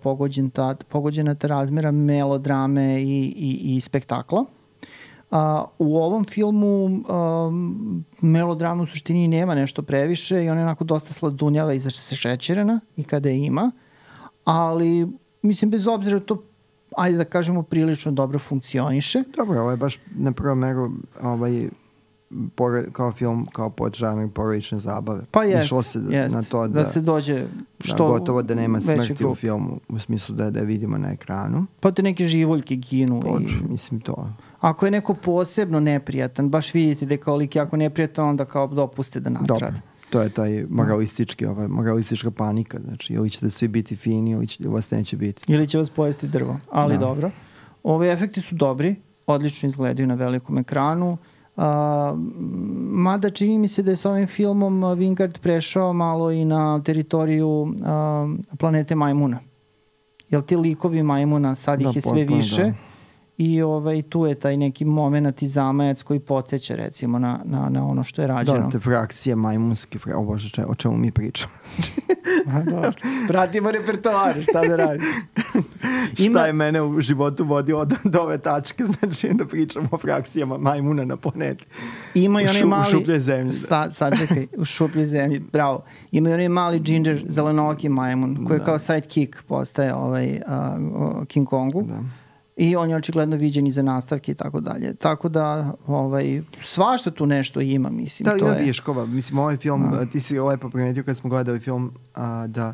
pogođena ta razmera melodrame i spektakla. U ovom filmu melodrama u suštini nema nešto previše i ona je onako dosta sladunjava i šećerena i kada je ima, ali mislim bez obzira to ajde da kažemo prilično dobro funkcioniše. Dobro, ovo je baš na prvom meru kao film, kao podžanr porodične zabave. Pa jest, na to da se dođe što gotovo da nema smrti u filmu, u smislu da je vidimo na ekranu. Pa te neke živoljke ginu. Mislim to. Ako je neko posebno neprijatan, baš vidite da je kao lik jako neprijatan, onda kao dopuste da nastrada. Dobro. To je taj moralistička panika. Znači, ili ćete svi biti fini, ili vas neće biti. Ili će vas pojesti drvo. Ali dobro. Ove efekti su dobri, odlično izgledaju na velikom ekranu. Mada čini mi se da je sa ovim filmom Wingard prešao malo i na teritoriju planete majmuna. Jer ti likovi majmuna, sad ih je sve više i tu je taj neki moment i zamajac koji podsjeća recimo na ono što je rađeno. Da, te frakcije majmunske, o čemu mi pričamo. Dobro. Pratimo repertoar, šta da radi. Šta je mene u životu vodio do ove tačke, znači da pričamo o frakcijama majmuna na planeti. Ima i onaj mali... U šuplje zemlji. Sad čekaj, u šuplje zemlji, bravo. Ima i onaj mali ginger zelenoki majmun, koji je kao sidekick postaje King Kongu. Da. I on je očigledno viđen i za nastavke i tako dalje. Tako da svašta tu nešto ima, mislim. Da, ima viškova. Mislim, ovaj film, ti si lepo primetio kad smo gledali film, da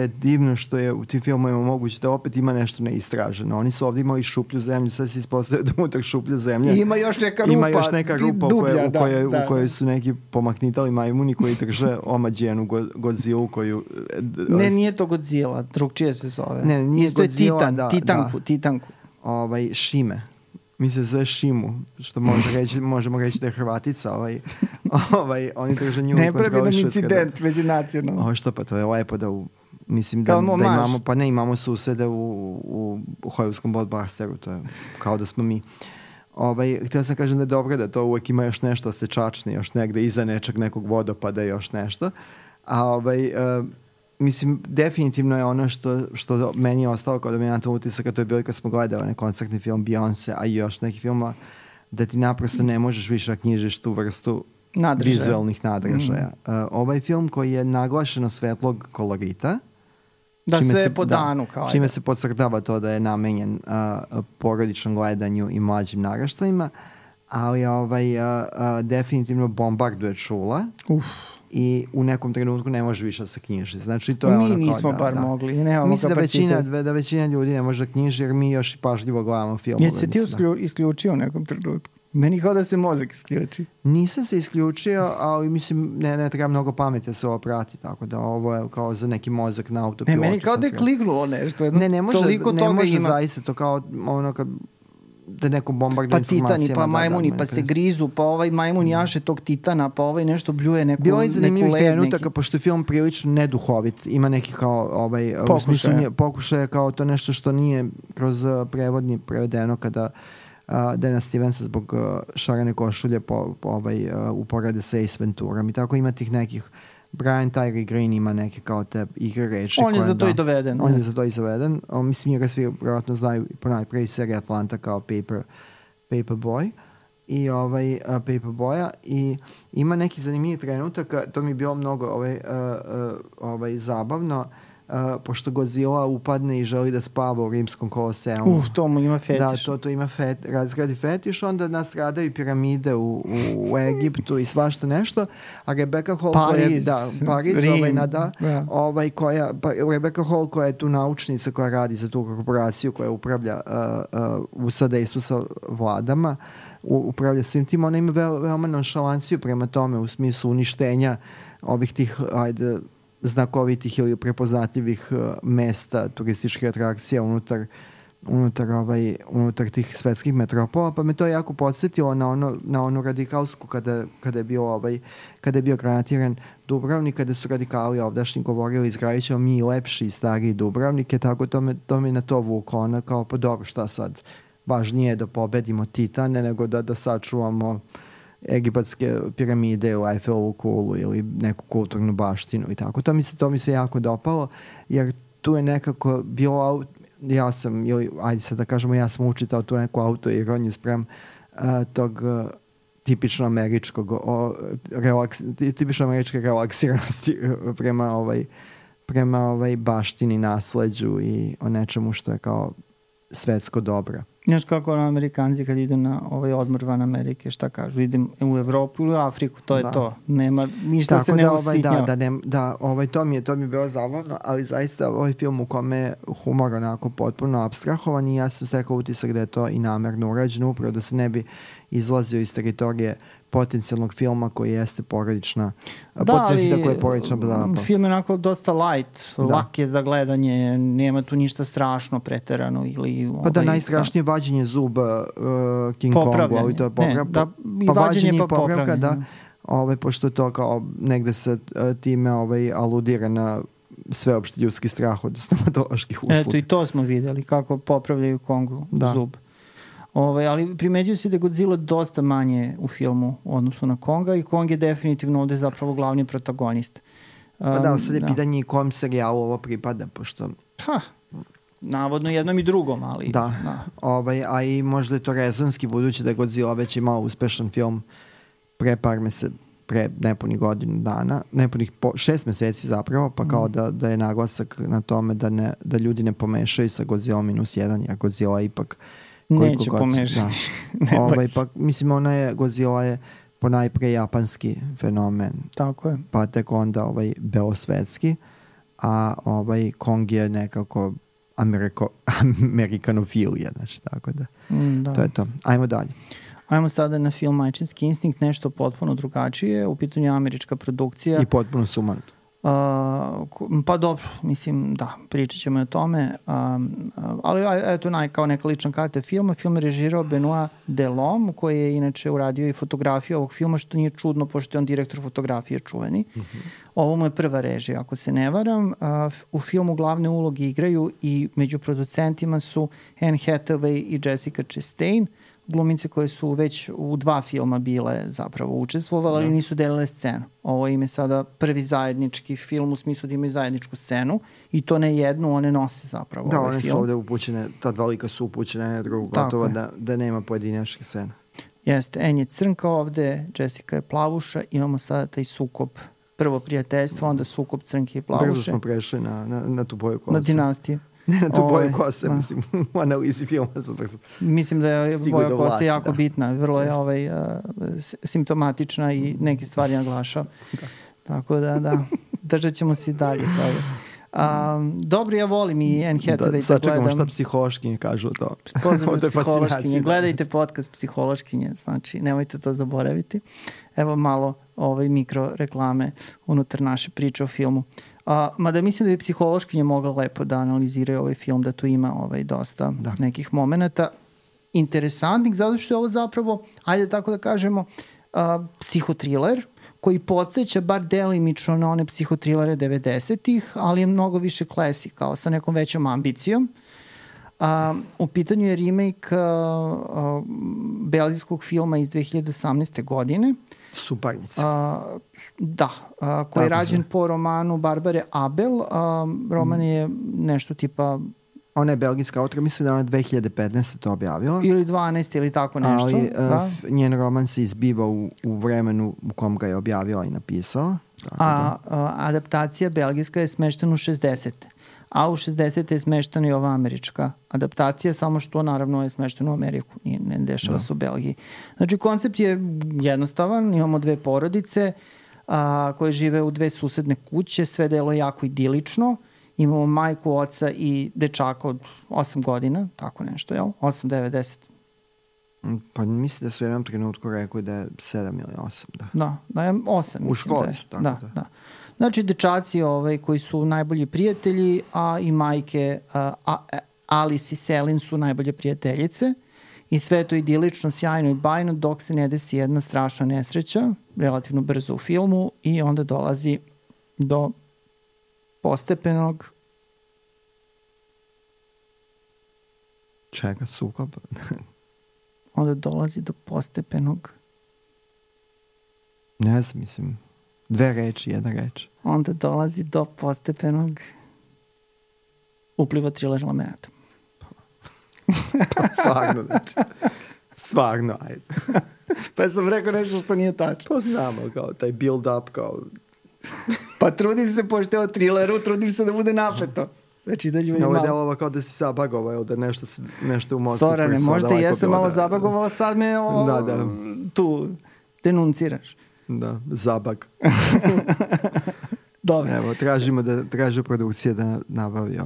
je divno što je u tim filmovima moguće da opet ima nešto neistraženo. Oni su ovdje imali šuplju zemlju, sad se ispostavio da unutar šuplje zemlje. Ima još neka rupa dublja, u kojoj su neki pomahnitali majmuni koji drže omađenu Godzilla koju... Ne, nije to Godzilla, drugčije se zove. Ne, nije isto Godzilla, je Titanku. Šime. Mislim da zove Šimu, što možemo reći da je Hrvatica. Oni drže nju. Ne pravi nam incident međunacionalno. Što pa, to je lepo da mislim da imamo, pa ne, imamo susede u Hollywoodskom blockbusteru, to je kao da smo mi. Htio sam kažem da je dobro da to uvek ima još nešto da se čačne, još negde iza nekog vodopada još nešto. A mislim, definitivno je ono što meni je ostalo kao dominantan utisak, a to je bilo kad smo gledali onaj koncertni film Beyoncé, a i još neki filma, da ti naprosto ne možeš više da knjižiš tu vrstu vizualnih nadražaja. Ovaj film koji je naglašeno svetlog kolorita, da sve po danu. Kao čime se podcrtava to da je namenjen porodičnom gledanju i mlađim naraštajima, ali definitivno bombarduje čula. I u nekom trenutku ne može više da se knjiži. Znači, to je mi nismo mogli. Mislim da većina ljudi ne može da knjiži jer mi još i pažljivo gledamo filmove. Jesi se ti isključio u nekom trenutku? Meni kao da se mozak isključi. Nisam se isključio, ali mislim ne treba mnogo pameti da se ovo prati, tako da ovo je kao za neki mozak na autopilotu. Meni kao da je kliknulo nešto. Ne može zaista to kao ono kad da neko bombarduje informacijama. Pa titani, pa majmuni, pa se grizu, pa ovaj majmun jaše tog titana, pa ovaj nešto bljuje neku bilo je zanimljivih trenutaka, pošto je film prilično neduhovit, ima neki kao pokušaje kao to nešto što nije kroz prevodni prevedeno kada Dana Stevensa zbog šarane košulje uporede sa Ace Venturom i tako ima tih nekih Brian Tyree Green ima neke kao te igre reči. On je za to i doveden. On je za to i zaveden. Mislim, njega svi vjerojatno znaju ponajprije iz serije Atlanta kao Paperboy i Paperboya i ima neki zanimljiv trenutaka, to mi je bilo mnogo zabavno, pošto Godzilla upadne i želi da spava u rimskom koloseumu. To mu ima fetiš. Da, to ima razgradi fetiš, onda nastradaju piramide u Egiptu i svašta nešto, a Rebecca Hall Rebecca Hall koja je tu naučnica koja radi za tu korporaciju koja upravlja u sadejstvu sa vladama, upravlja svim tim, ona ima veoma nonšalanciju prema tome u smislu uništenja ovih tih, znakovitih ili prepoznatljivih mesta, turističkih atrakcija unutar tih svetskih metropola, pa me to jako podsjetilo na onu radikalsku kada je bio granatiran Dubrovnik, kada su radikali ovdašnji govorili izgradit ćemo mi lepši i stariji Dubrovnike, tako to mi na to vuko, ona kao pa dobro šta sad, važnije je da pobedimo Titane nego da sačuvamo egipatske piramide u Eiffelovu kulu ili neku kulturnu baštinu i tako. To mi se jako dopalo, jer tu je nekako bilo, ja sam učitao tu neku autoironiju sprem tog tipično američke relaksiranosti prema baštini, nasleđu i o nečemu što je kao svetsko dobro. Znaš kako Amerikanci kad idu na odmor van Amerike, šta kažu? Idem u Evropu ili u Afriku, to je to. Nema, ništa se ne usitnjava. To mi je bilo zabavno, ali zaista ovaj film u kome je humor onako potpuno apstrahovan i ja sam stekao utisak da je to i namerno urađeno, upravo da se ne bi izlazio iz teritorije potencijalnog filma koji jeste porodična. Koji je porodična blaba. Film je onako dosta light, lak je za gledanje, nema tu ništa strašno preterano ili... najstrašnije vađenje zuba King Kongu, ali to je popravka. Vađenje pa popravka, da. Pošto to kao negde se time aludira na sveopšti ljudski strah od stomatoloških usluga. Eto i to smo videli, kako popravljaju Kongu zub. Ali primeđuju se da je Godzilla dosta manje u filmu u odnosu na Konga i Kong je definitivno ovde zapravo glavni protagonist. Sad je pitanje i kom serijalu ovo pripada, pošto... Navodno jednom i drugom, ali... A i možda je to rezonski, budući da je Godzilla već imao uspešan film pre nepunih godinu dana, nepunih 6 meseci zapravo, pa kao da je naglasak na tome da ljudi ne pomešaju sa Godzilla -1, jer Godzilla ipak neće pomešati. Mislim, Godzilla je ponajpre japanski fenomen. Tako je. Pa tek onda belosvetski, a Kong je nekako amerikanofilija, znači, tako da. To je to. Ajmo dalje. Ajmo sada na film Majčinski instinkt, nešto potpuno drugačije, u pitanju američka produkcija. I potpuno sumanuto. Pa dobro, mislim, da, pričat ćemo o tome, ali eto kao neka lična karta filma. Film je režirao Benoit Delhomme, koji je inače uradio i fotografiju ovog filma, što nije čudno, pošto je on direktor fotografije čuveni. Ovo mu je prva režija, ako se ne varam. U filmu glavne uloge igraju i među producentima su Anne Hathaway i Jessica Chastain. glumice koje su već u 2 filma bile zapravo učestvovale, ali nisu delile scenu. Ovo im je sada prvi zajednički film u smislu da imaju zajedničku scenu i to ne jednu, one nose zapravo ovaj film. Da, one su ovde upućene, ta dva lika su upućene na drugu, gotovo da nema pojedinačne scene. Jeste, En je crnka ovde, Jessica je plavuša, imamo sada taj sukob, prvo prijateljstvo, onda sukob crnke i plavuše. Brzo smo prešli na tu boju kose. Na dinastiju. Ne, na tu boju kose, mislim, u analizi filma smo brzo. Mislim da je boja kose jako bitna, vrlo je simptomatična i neke stvari naglašava. Tako da, držat ćemo se i dalje toga. Dobro, ja volim i Anne Hathaway da gledam. Sad čekamo šta psihološkinje kažu o to. Pozdrav za psihološkinje. Gledajte podcast psihološkinje, znači nemojte to zaboraviti. Evo malo mikro reklame unutar naše priče o filmu. Mada mislim da bi psihološkinje mogla lepo da analiziraju ovaj film, da tu ima dosta nekih momenta interesantnih, zato što je ovo zapravo, ajde tako da kažemo, psihotriler, koji podsjeća bar delimično na one psihotrilere 90-ih, ali je mnogo više classic, kao sa nekom većom ambicijom. U pitanju je remake belgijskog filma iz 2018. godine. Suparnica. Koji je rađen po romanu Barbare Abel. Roman je nešto tipa... Ona je belgijska autora, mislim da ona 2015. to objavila. Ili 12 ili tako nešto. Ali njen roman se izbiva u vremenu u kom ga je objavila i napisala. Adaptacija belgijska je smeštena u 60. A u 60. je smeštena i ova američka adaptacija, samo što naravno je smeštena u Ameriku, ne dešava se u Belgiji. Znači koncept je jednostavan, imamo 2 porodice koje žive u 2 susedne kuće, sve delo je jako idilično. Imamo majku, oca i dečaka od 8 godina, tako nešto, jel? 8, 9, 10. Pa mislim da su u jednom trenutku rekli da je 7 ili 8, da. Da, 8. U školi su, tako da. Znači, dečaci koji su najbolji prijatelji, a i majke Alice i Selin su najbolje prijateljice i sve to idilično, sjajno i bajno dok se ne desi jedna strašna nesreća, relativno brzo u filmu i onda dolazi do postepenog čega sukob? Onda dolazi do postepenog ne znam, mislim 2 reči, 1 reč. Onda dolazi do postepenog upliva thriller elemenata. Pa stvarno, znači. Stvarno, ajde. Pa sam rekao nešto što nije tačno. Pa znamo, kao taj build up, kao... Pa trudim se, pošto je o thrilleru, trudim se da bude napeto. Znači da ljudi malo... Ovo je delova kao da si zabagovao, ili da nešto u mozgu... Sorane, možda jesam malo zabagovala, sad me tu denunciraš. Da, zabag. Dobro. Evo, traži produkcija da nabavi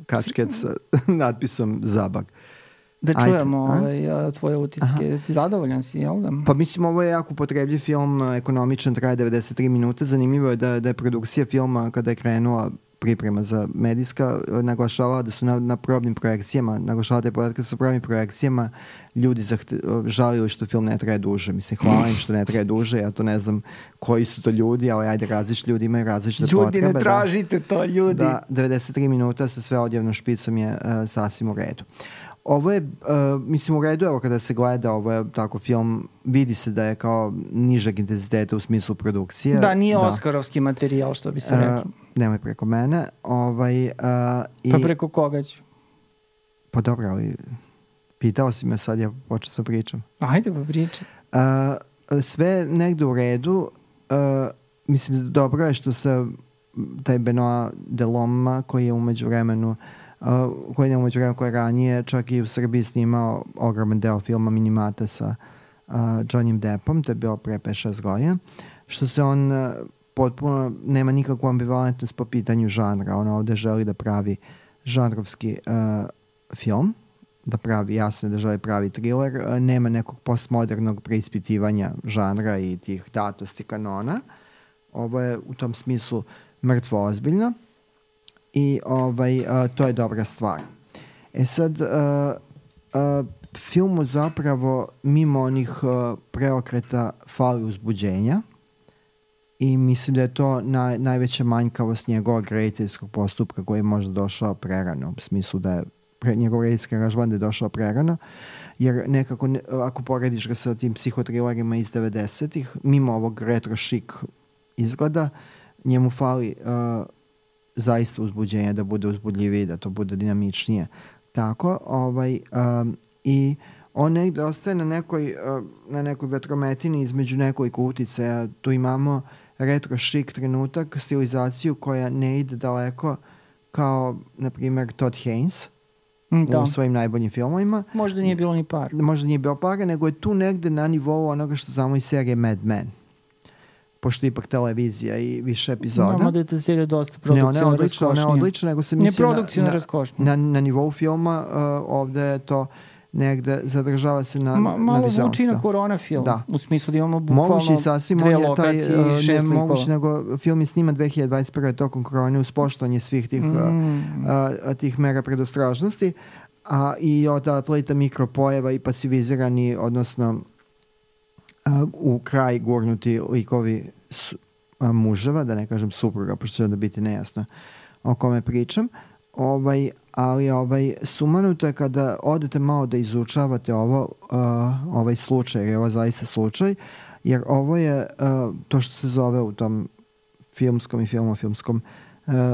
kačket sa natpisom zabag. Da čujemo tvoje utiske. Ti zadovoljan si, jel da? Pa mislim, ovo je jako potrebljiv film, ekonomičan, traje 93 minuta. Zanimljivo je da je produkcija filma, kada je krenula priprema za medijska, naglašavala da su na probnim projekcijama, naglašavala te podatke sa probnim projekcijama, ljudi žalili što film ne traje duže. Mislim, hvala im što ne traje duže, ja to ne znam koji su to ljudi, ali ajde, različiti ljudi imaju različite potrebe. Ljudi, ne tražite to, ljudi. Da, 93 minuta sa sve odjevnom špicom je sasvim u redu. Ovo je, mislim, u redu, evo kada se gleda, ovo je tako film, vidi se da je kao nižeg intenziteta u smislu produkcije. Da, nije oskarovski materijal, što bi se rekao. Nemoj preko mene. Pa preko koga ću? Pa dobro, ali pitao si me sad, ja počeo sa pričam. Ajde pa pričam. Sve negde u redu. Mislim, dobro je što se taj Benoit Delhomme, koji je umeđu vremenu koji je ranije čak i u Srbiji snimao ogroman deo filma Minimata sa Johnnym Deppom, to je bilo pre 5-6 godina, što se on potpuno nema nikakvu ambivalentnost po pitanju žanra. On ovde želi da pravi žanrovski film, da pravi, jasno da želi pravi thriller, nema nekog postmodernog preispitivanja žanra i tih datosti kanona. Ovo je u tom smislu mrtvo ozbiljno. I to je dobra stvar. Sad, filmu zapravo mimo onih preokreta fali uzbuđenja i mislim da je to najveća manjkavost njegovog rediteljskog postupka koji je možda došao prerano, u smislu da je njegov redijski aranžman da je došao prerano, jer nekako, ako porediš ga sa tim psihotrilerima iz 90-ih, mimo ovog retro šik izgleda, njemu fali zaista uzbuđenje, da bude uzbudljiviji, da to bude dinamičnije. Tako, i on negde ostaje na nekoj vetrometini između nekoliko uticaja. Tu imamo retro šik trenutak, stilizaciju koja ne ide daleko kao, na primjer, Todd Haynes u svojim najboljim filmovima. Možda nije bilo ni par. Možda nije bilo para, nego je tu negde na nivou onoga što znamo iz serije Mad Men. Pošto ipak televizija i više epizoda. Znamo da je ta serija dosta produkcijona raskošnija. Ne, ona je odlična, nego se misli na nivou filma, ovde je to negde zadržava se na malo zvuči na korona film, u smislu da imamo bukvalno dve lokacije i 6 likova. Moguće, nego film je sniman 2021. tokom korone uz poštovanje svih tih mera predostrožnosti, a i od atleta mikropojeva i pasivizirani, odnosno u kraj gurnuti likovi muževa, da ne kažem supruga, pošto će onda biti nejasno o kome pričam. Ali sumanuto je kada odete malo da izučavate ovaj slučaj, jer je ovo zaista slučaj, jer ovo je to što se zove u tom filmskom i filmofilmskom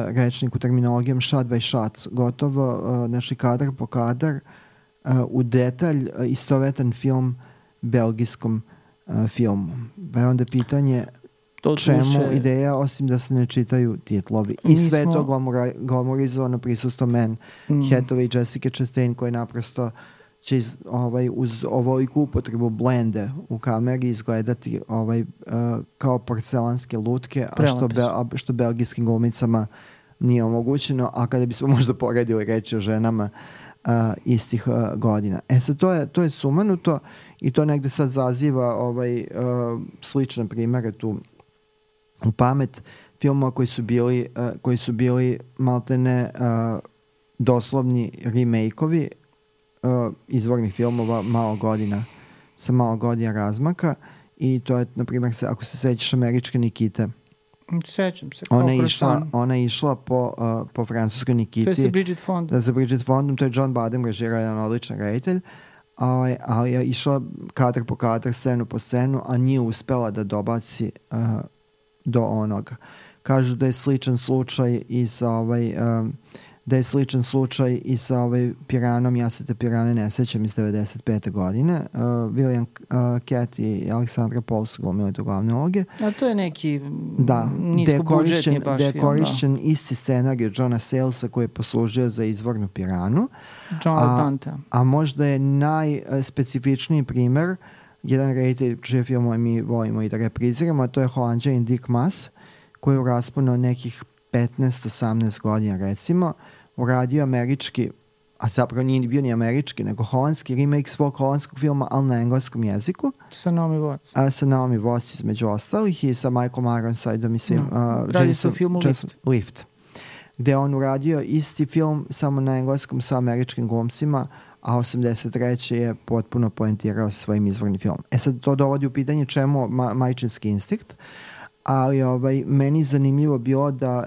rečniku terminologijom shot by shot, gotovo, znači kadar po kadar, u detalj istovetan film belgijskom filmu. Pa je onda pitanje čemu ideja, osim da se ne čitaju titlovi. I sve to glamorizovano prisustvo Anne Hathaway i Jessica Chastain, koje naprosto će uz ovoliku upotrebu blende u kameri izgledati kao porcelanske lutke, a što belgijskim glumicama nije omogućeno, a kada bismo možda poredili reći o ženama istih godina. Sad to je sumanuto i to negde sad zaziva slične primere tu u pamet filmova koji su bili maltene doslovni remake-ovi izvornih filmova sa malo godina razmaka, i to je, na primjer, ako se sećaš Američke Nikite. Sećam se. Ona je išla po francuskoj Nikiti. To je sa Bridget Fondom. Da, sa Bridget Fondom, to je John Badham režirao, jedan odličan reditelj, ali je išla kadar po kadar, scenu po scenu, a nije uspela da dobaci do onoga. Kažu da je sličan slučaj i sa Piranom, ja se te Pirane ne sećam, iz 95. godine. William Cat i Alexandra Paul su glumili to glavne uloge. A to je neki niskobudžetni baš film. Da je korišćen isti scenarij Johna Salesa koji je poslužio za izvornu Piranu. A možda je najspecifičniji primer jedan reditelj čije filmove mi volimo i da repriziramo, a to je Holanđanin Dick Maas, koji je u rasponu nekih 15-18 godina, recimo, uradio američki, a zapravo nije bio ni američki, nego holandski remake svog holandskog filma, ali na engleskom jeziku. Sa Naomi Watts. Sa Naomi Watts između ostalih i sa Michael Ironsideom i svim. Radi se o filmu Lift. Gde on uradio isti film samo na engleskom sa američkim glumcima, a 83. je potpuno poentirao sa svojim izvornim filmom. Sad to dovodi u pitanje čemu majčinski instinkt, ali meni zanimljivo bilo da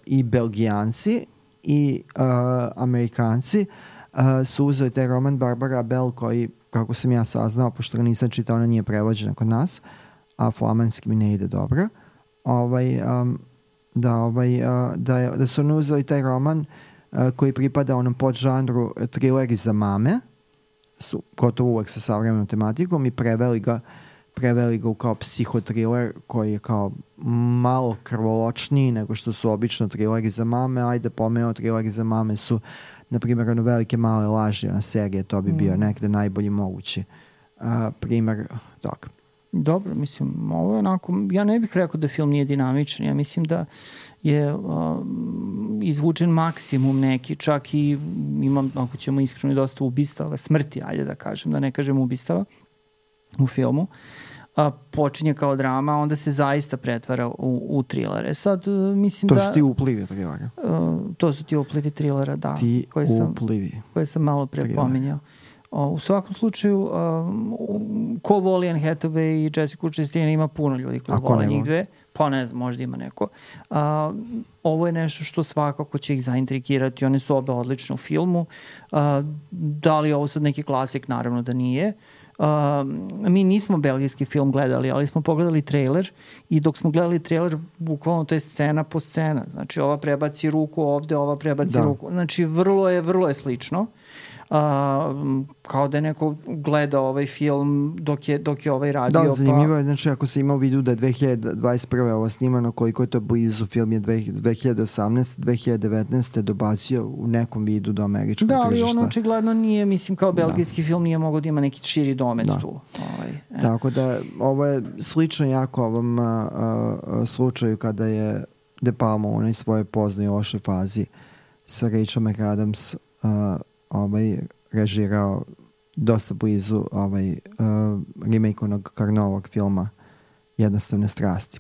i Belgijanci i Amerikanci su uzeli taj roman Barbara Bell, koji, kako sam ja saznao, pošto ga nisam čitao, ona nije prevođena kod nas, a flamanski mi ne ide dobro, da su oni uzeli taj roman koji pripada onom podžanru trileri za mame, su gotovo uvek sa savremenom tematikom, i preveli ga u kao psihotriler koji je kao malo krvoločniji nego što su obično trileri za mame. Ajde pomenuo, trileri za mame su, na primjer, ono Velike male laži, ona serija, to bi bio nekde najbolji mogući primer toga. Dobro, mislim, ovo je onako, ja ne bih rekao da film nije dinamičan, ja mislim da je izvučen maksimum neki, čak i imam, ako ćemo iskreno, dosta ubistava, smrti, ajde da kažem, da ne kažem ubistava u filmu. Počinje kao drama, onda se zaista pretvara u trilere. Sad, mislim to su ti uplivi trilera. To su ti uplivi trilera, da. Uplivi. Koje sam malo pre pominjao. U svakom slučaju, ko voli Anne Hathaway i Jessica Chastain, ima puno ljudi koji vole njih dve. Pa ne znam, možda ima neko. Ovo je nešto što svakako će ih zaintrigirati. One su obe odlične u filmu. Da li je ovo sad neki klasik? Naravno da nije. Mi nismo belgijski film gledali, ali smo pogledali trailer i dok smo gledali trailer, bukvalno to je scena po scena. Znači, ova prebaci ruku ovde, ova prebaci ruku. Znači, vrlo je slično. Kao da je neko gledao ovaj film dok je ovaj radio. Da, zanimljivo je, znači ako se ima u vidu da je 2021. ovo snimano, koliko je to blizu, film je 2018. 2019. dobacio u nekom vidu do američkog tržišta. Da, ali ono očigledno nije, mislim, kao belgijski film nije mogao da ima neki širi domet tu. Tako da, ovo je slično jako ovom slučaju kada je De Palma u onoj svojoj poznoj lošoj fazi sa Rachel McAdams režirao dosta blizu remake onog Carnovog filma Jednostavne strasti.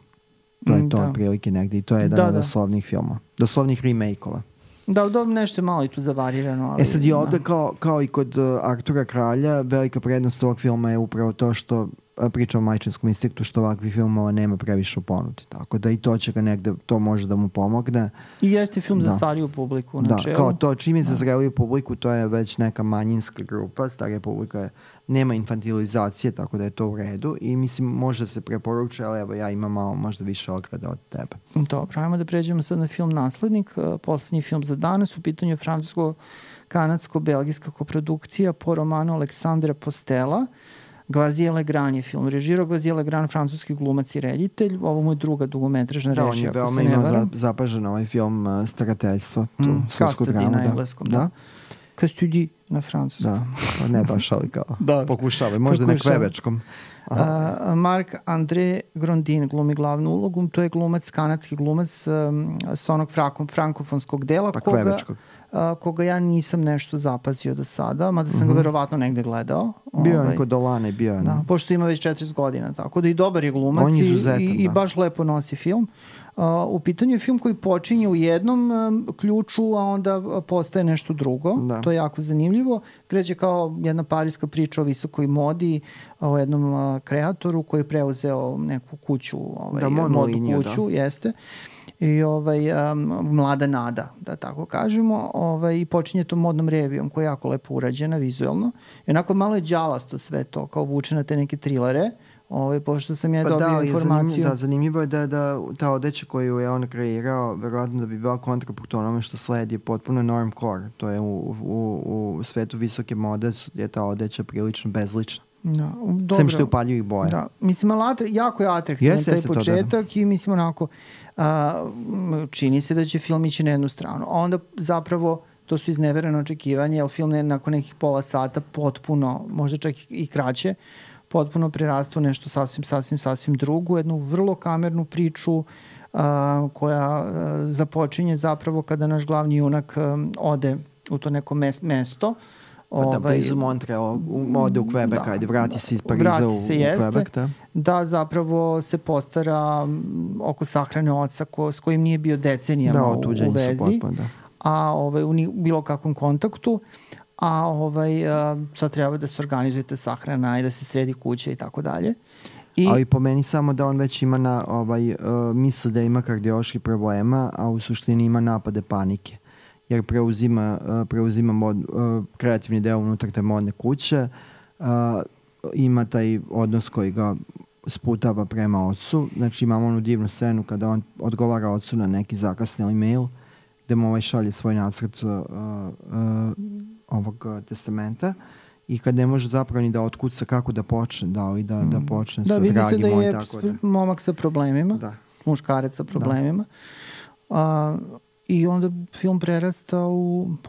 To je to otprilike negdje i to je jedan od doslovnih filma. Doslovnih remake-ova. Da, nešto je malo i tu zavarirano. Ali, sad i ovde kao i kod Artura Kralja, velika prednost ovog filma je upravo to što priča o majčinskom instinktu, što ovakvih filmova nema previše u ponudi. Tako da i to će ga negde, to može da mu pomogne. I jeste film za stariju publiku. Da, kao to čim je za zreliju publiku, to je već neka manjinska grupa, starija publika nema infantilizacije, tako da je to u redu i mislim može se preporučiti, ali evo ja imam malo možda više ograda od tebe. Dobro, ajmo da pređemo sad na film Naslednik, poslednji film za danas, u pitanju je francusko-kanadsko-belgijska koprodukcija po romanu Aleksandra Postela. Gvazije Legrand je film. Režirao Gvazije Legrand, francuski glumac i reditelj. Ovo mu je druga dugometražna režija. Da, on je veoma imao zapažen ovaj film Starateljstvo. Custody na engleskom. Da. Custody na francuskom. Da, pa ne baš, ali kao pokušava. Možda na kvebečkom. Marc-André Grondin glumi glavnu ulogu. To je glumac, kanadski glumac sa onog frankofonskog dela. Pa kvebečkog. Koga ja nisam nešto zapazio do sada, mada sam ga verovatno negde gledao. Bio je kod Dolane, bio je. Da, pošto ima već 40 godina, tako da i dobar je glumac i baš lepo nosi film. U pitanju je film koji počinje u jednom ključu, a onda postaje nešto drugo. Da. To je jako zanimljivo. Kreće kao jedna parijska priča o visokoj modi, o jednom kreatoru koji je preuzeo neku kuću, modnu kuću, jeste. I mlada nada, da tako kažemo, i počinje to modnom revijom koja je jako lepo urađena vizualno. I onako malo je đalasto sve to, kao vuče na te neke trilere, pošto sam ja dobio informaciju. Zanimljivo je da ta odeća koju je on kreirao, verovatno da bi bila kontrapunkt onome što sledi, je potpuno normcore. To je u svetu visoke mode je ta odeća prilično bezlična. No, sem što je upaljivih boja. Da. Mislim, jako je atraktivan taj početak i mislim onako čini se da će film ići na jednu stranu. A onda zapravo to su iznevereno očekivanje, jer film je nakon nekih pola sata potpuno, možda čak i kraće, potpuno prerastu nešto sasvim drugo, jednu vrlo kamernu priču koja započinje zapravo kada naš glavni junak ode u to neko mesto. Blizu Montreal, ode u Quebec, ajde, vrati se iz Pariza u Quebec. Da, zapravo se postara oko sahrane oca s kojim nije bio decenijama u vezi, a u bilo kakvom kontaktu, a sad treba da se organizujete sahrana i da se sredi kuća i tako dalje. Ali po meni samo da on već ima misle da ima kardiološki problema, a u suštini ima napade panike. Jer preuzima kreativni deo unutar te modne kuće, ima taj odnos koji ga sputava prema ocu. Znači imamo onu divnu scenu kada on odgovara ocu na neki zakasneli mail gde mu šalje svoj nacrt ovog testamenta i kad ne može zapravo ni da otkuca kako da počne, da počne sa dragim. Da, vidi se da je momak sa problemima, muškarec sa problemima. I onda film prerasta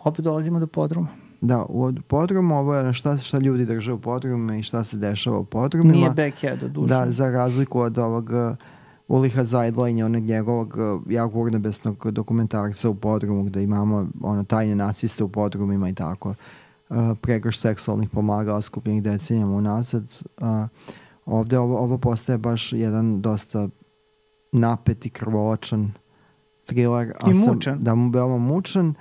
opet dolazimo do podruma. Da, u podrumu ovo je šta ljudi drže u podrumu i šta se dešava u podrumima. Nije backhead od duša. Da, za razliku od ovog Uliha Zajdlajnja, onog njegovog jako urnebesnog dokumentarca u podrumu gde imamo tajne naciste u podrumima i tako. Pregrš seksualnih pomagala skupljenih decenijama unazad. Ovde ovo postaje baš jedan dosta napet i krvoločan thriller. I mučan. Da mu veoma mučan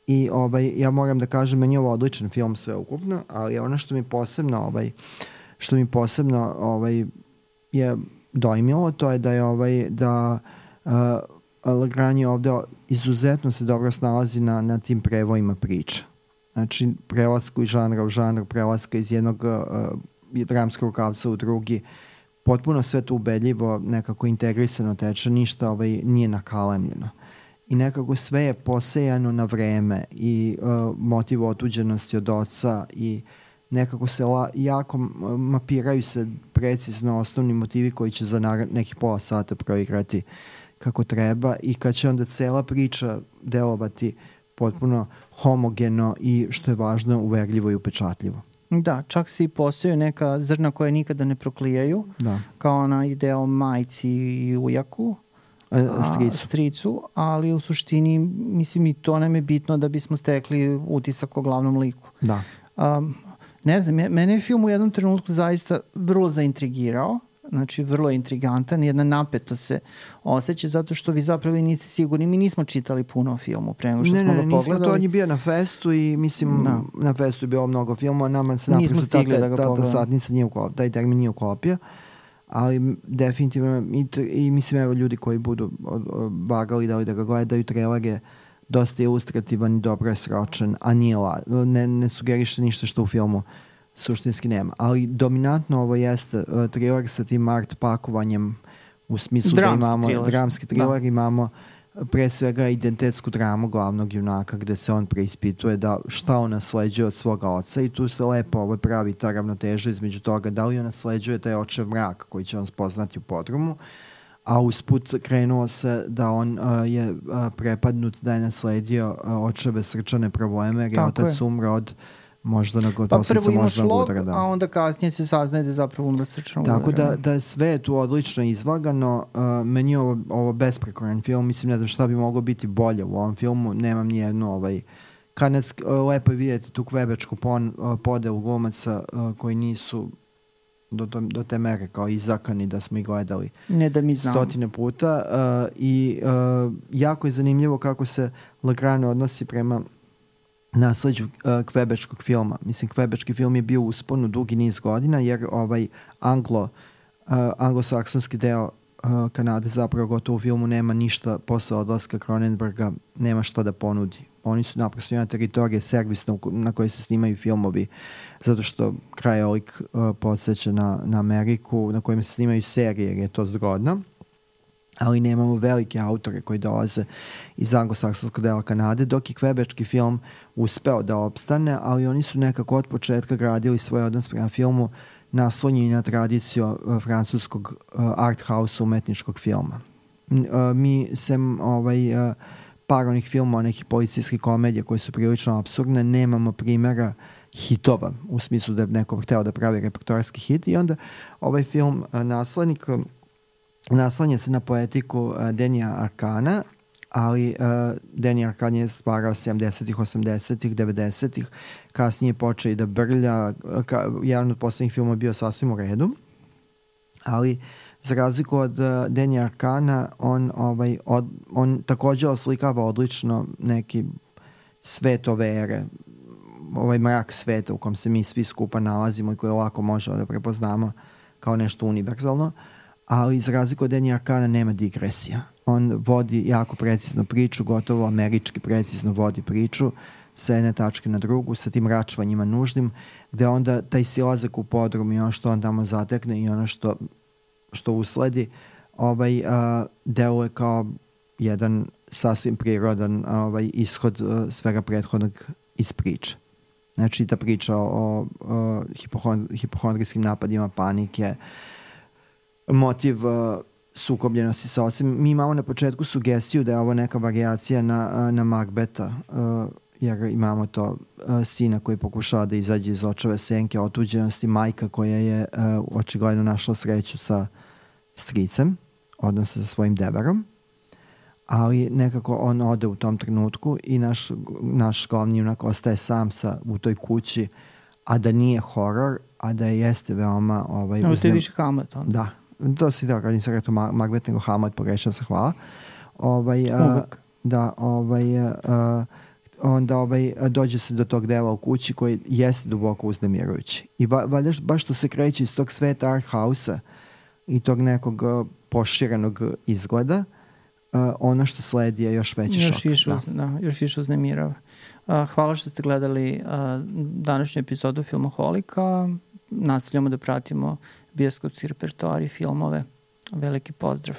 I ja moram da kažem, meni je ovo odličan film sveukupno, ali ono što mi posebno je dojmilo, to je da je Legrand ovde izuzetno se dobro snalazi na tim prevojima priča. Znači, prelasku iz žanra u žanr, prelaska iz jednog dramskog rukavca u drugi, potpuno sve to ubedljivo, nekako integrisano teče, ništa nije nakalemljeno. I nekako sve je posejano na vreme i motiv otuđenosti od oca i nekako se jako mapiraju se precizno osnovni motivi koji će za nekih pola sata proigrati kako treba i kad će onda cela priča delovati potpuno homogeno i što je važno uverljivo i upečatljivo. Da, čak se i postoje neka zrna koje nikada ne proklijaju, kao ona ideja o majci i ujaku, stricu, ali u suštini mislim i to nam je bitno da bismo stekli utisak o glavnom liku. Da. Ne znam, mene je film u jednom trenutku zaista vrlo zaintrigirao, znači vrlo je intrigantan, jedna napetost se osjeća zato što vi zapravo niste sigurni, mi nismo čitali puno o filmu pre nego što smo ga pogledali. Nismo, to on je bio na festu i mislim na festu je bilo mnogo filmova, nama se naprosto ta satnica nije uklopio, taj termin nije uklopio, ali definitivno i mislim evo ljudi koji budu vagali da ga gledaju, trailer je dosta ilustrativan i dobro je sročen, a nije ne sugeriše ništa što u filmu suštinski nema. Ali dominantno ovo jeste thriller sa tim art pakovanjem u smislu da imamo dramski thriller, imamo pre svega identitetsku dramu glavnog junaka gde se on preispituje da šta on nasleđuje od svoga oca i tu se lepo pravi ta ravnoteža između toga da li on nasleđuje taj očev mrak koji će on spoznati u podrumu, a usput krenuo se da on je prepadnut da je nasledio očeve srčane probleme jer je otac umro od možda posledica možda udara. A onda kasnije se saznaje da je zapravo umro srčano udara. Tako da je sve tu odlično izvagano. Meni je ovo besprekoran film. Mislim, ne znam šta bi moglo biti bolje u ovom filmu. Nemam nijednu lepo je vidjeti tu kvebečku podelu glumaca koji nisu do te mere kao izakani da smo ih gledali stotine puta. I jako je zanimljivo kako se Legrand odnosi prema nasleđu kvebečkog filma. Mislim, kvebečki film je bio u usponu dugi niz godina jer anglosaksonski deo Kanade zapravo gotovo u filmu nema ništa posle odlaska Cronenberga, nema što da ponudi. Oni su naprosto jedna teritorija servisna na kojoj se snimaju filmovi zato što krajolik podsjeća na Ameriku na kojima se snimaju serije jer je to zgodno. Ali nemamo velike autore koji dolaze iz anglosaksonskog dela Kanade, dok je kvebečki film uspeo da opstane, ali oni su nekako od početka gradili svoj odnos prema filmu naslonjeni na tradiciju francuskog art house umetničkog filma. Mi sem par onih filmova, nekih policijskih komedija koje su prilično apsurdne, nemamo primjera hitova, u smislu da je neko hteo da pravi repertoarski hit i onda ovaj film Naslednik naslanja se na poetiku Denija Arkana, ali Denij Arkan je stvarao 70-ih, 80-ih, 90-ih, kasnije počeo i da brlja, jedan od poslednjih filmova bio sasvim u redu, ali za razliku od Denija Arkana, on također oslikava odlično neki svet ove ere, ovaj mrak sveta u kom se mi svi skupa nalazimo i koje lako možemo da prepoznamo kao nešto univerzalno, ali za razliku od Denija Arkana nema digresija. On vodi jako precizno priču, gotovo američki precizno vodi priču sa jedne tačke na drugu, sa tim račvanjima nužnim, gde onda taj silazak u podrum i ono što on tamo zatekne i ono što usledi deluje kao jedan sasvim prirodan ishod svega prethodnog iz priče. Znači ta priča o hipohondrijskim napadima, panike, motiv sukobljenosti sa osim. Mi imamo na početku sugestiju da je ovo neka varijacija na Macbeta, jer imamo to sina koji pokušava da izađe iz očeve senke otuđenosti, majka koja je očigledno našla sreću sa stricem, odnosno sa svojim deverom, ali nekako on ode u tom trenutku i naš glavni junak ostaje sam u toj kući, a da nije horor, a da jeste veoma... Ovo ste više Hamlet. Da, to si da, kad nisam rekao Macbeth, nego Hamlet, pogrešao se, hvala. onda dođe se do tog dela u kući koji jeste duboko uznemirujući. I baš što se kreće iz tog sveta art house-a i tog nekog poširenog izgleda, ono što sledi je još veći šok. Još više uznemirava. Hvala što ste gledali današnju epizodu Filmoholika. Nastavljamo da pratimo bioskopski repertoar i filmove. Veliki pozdrav.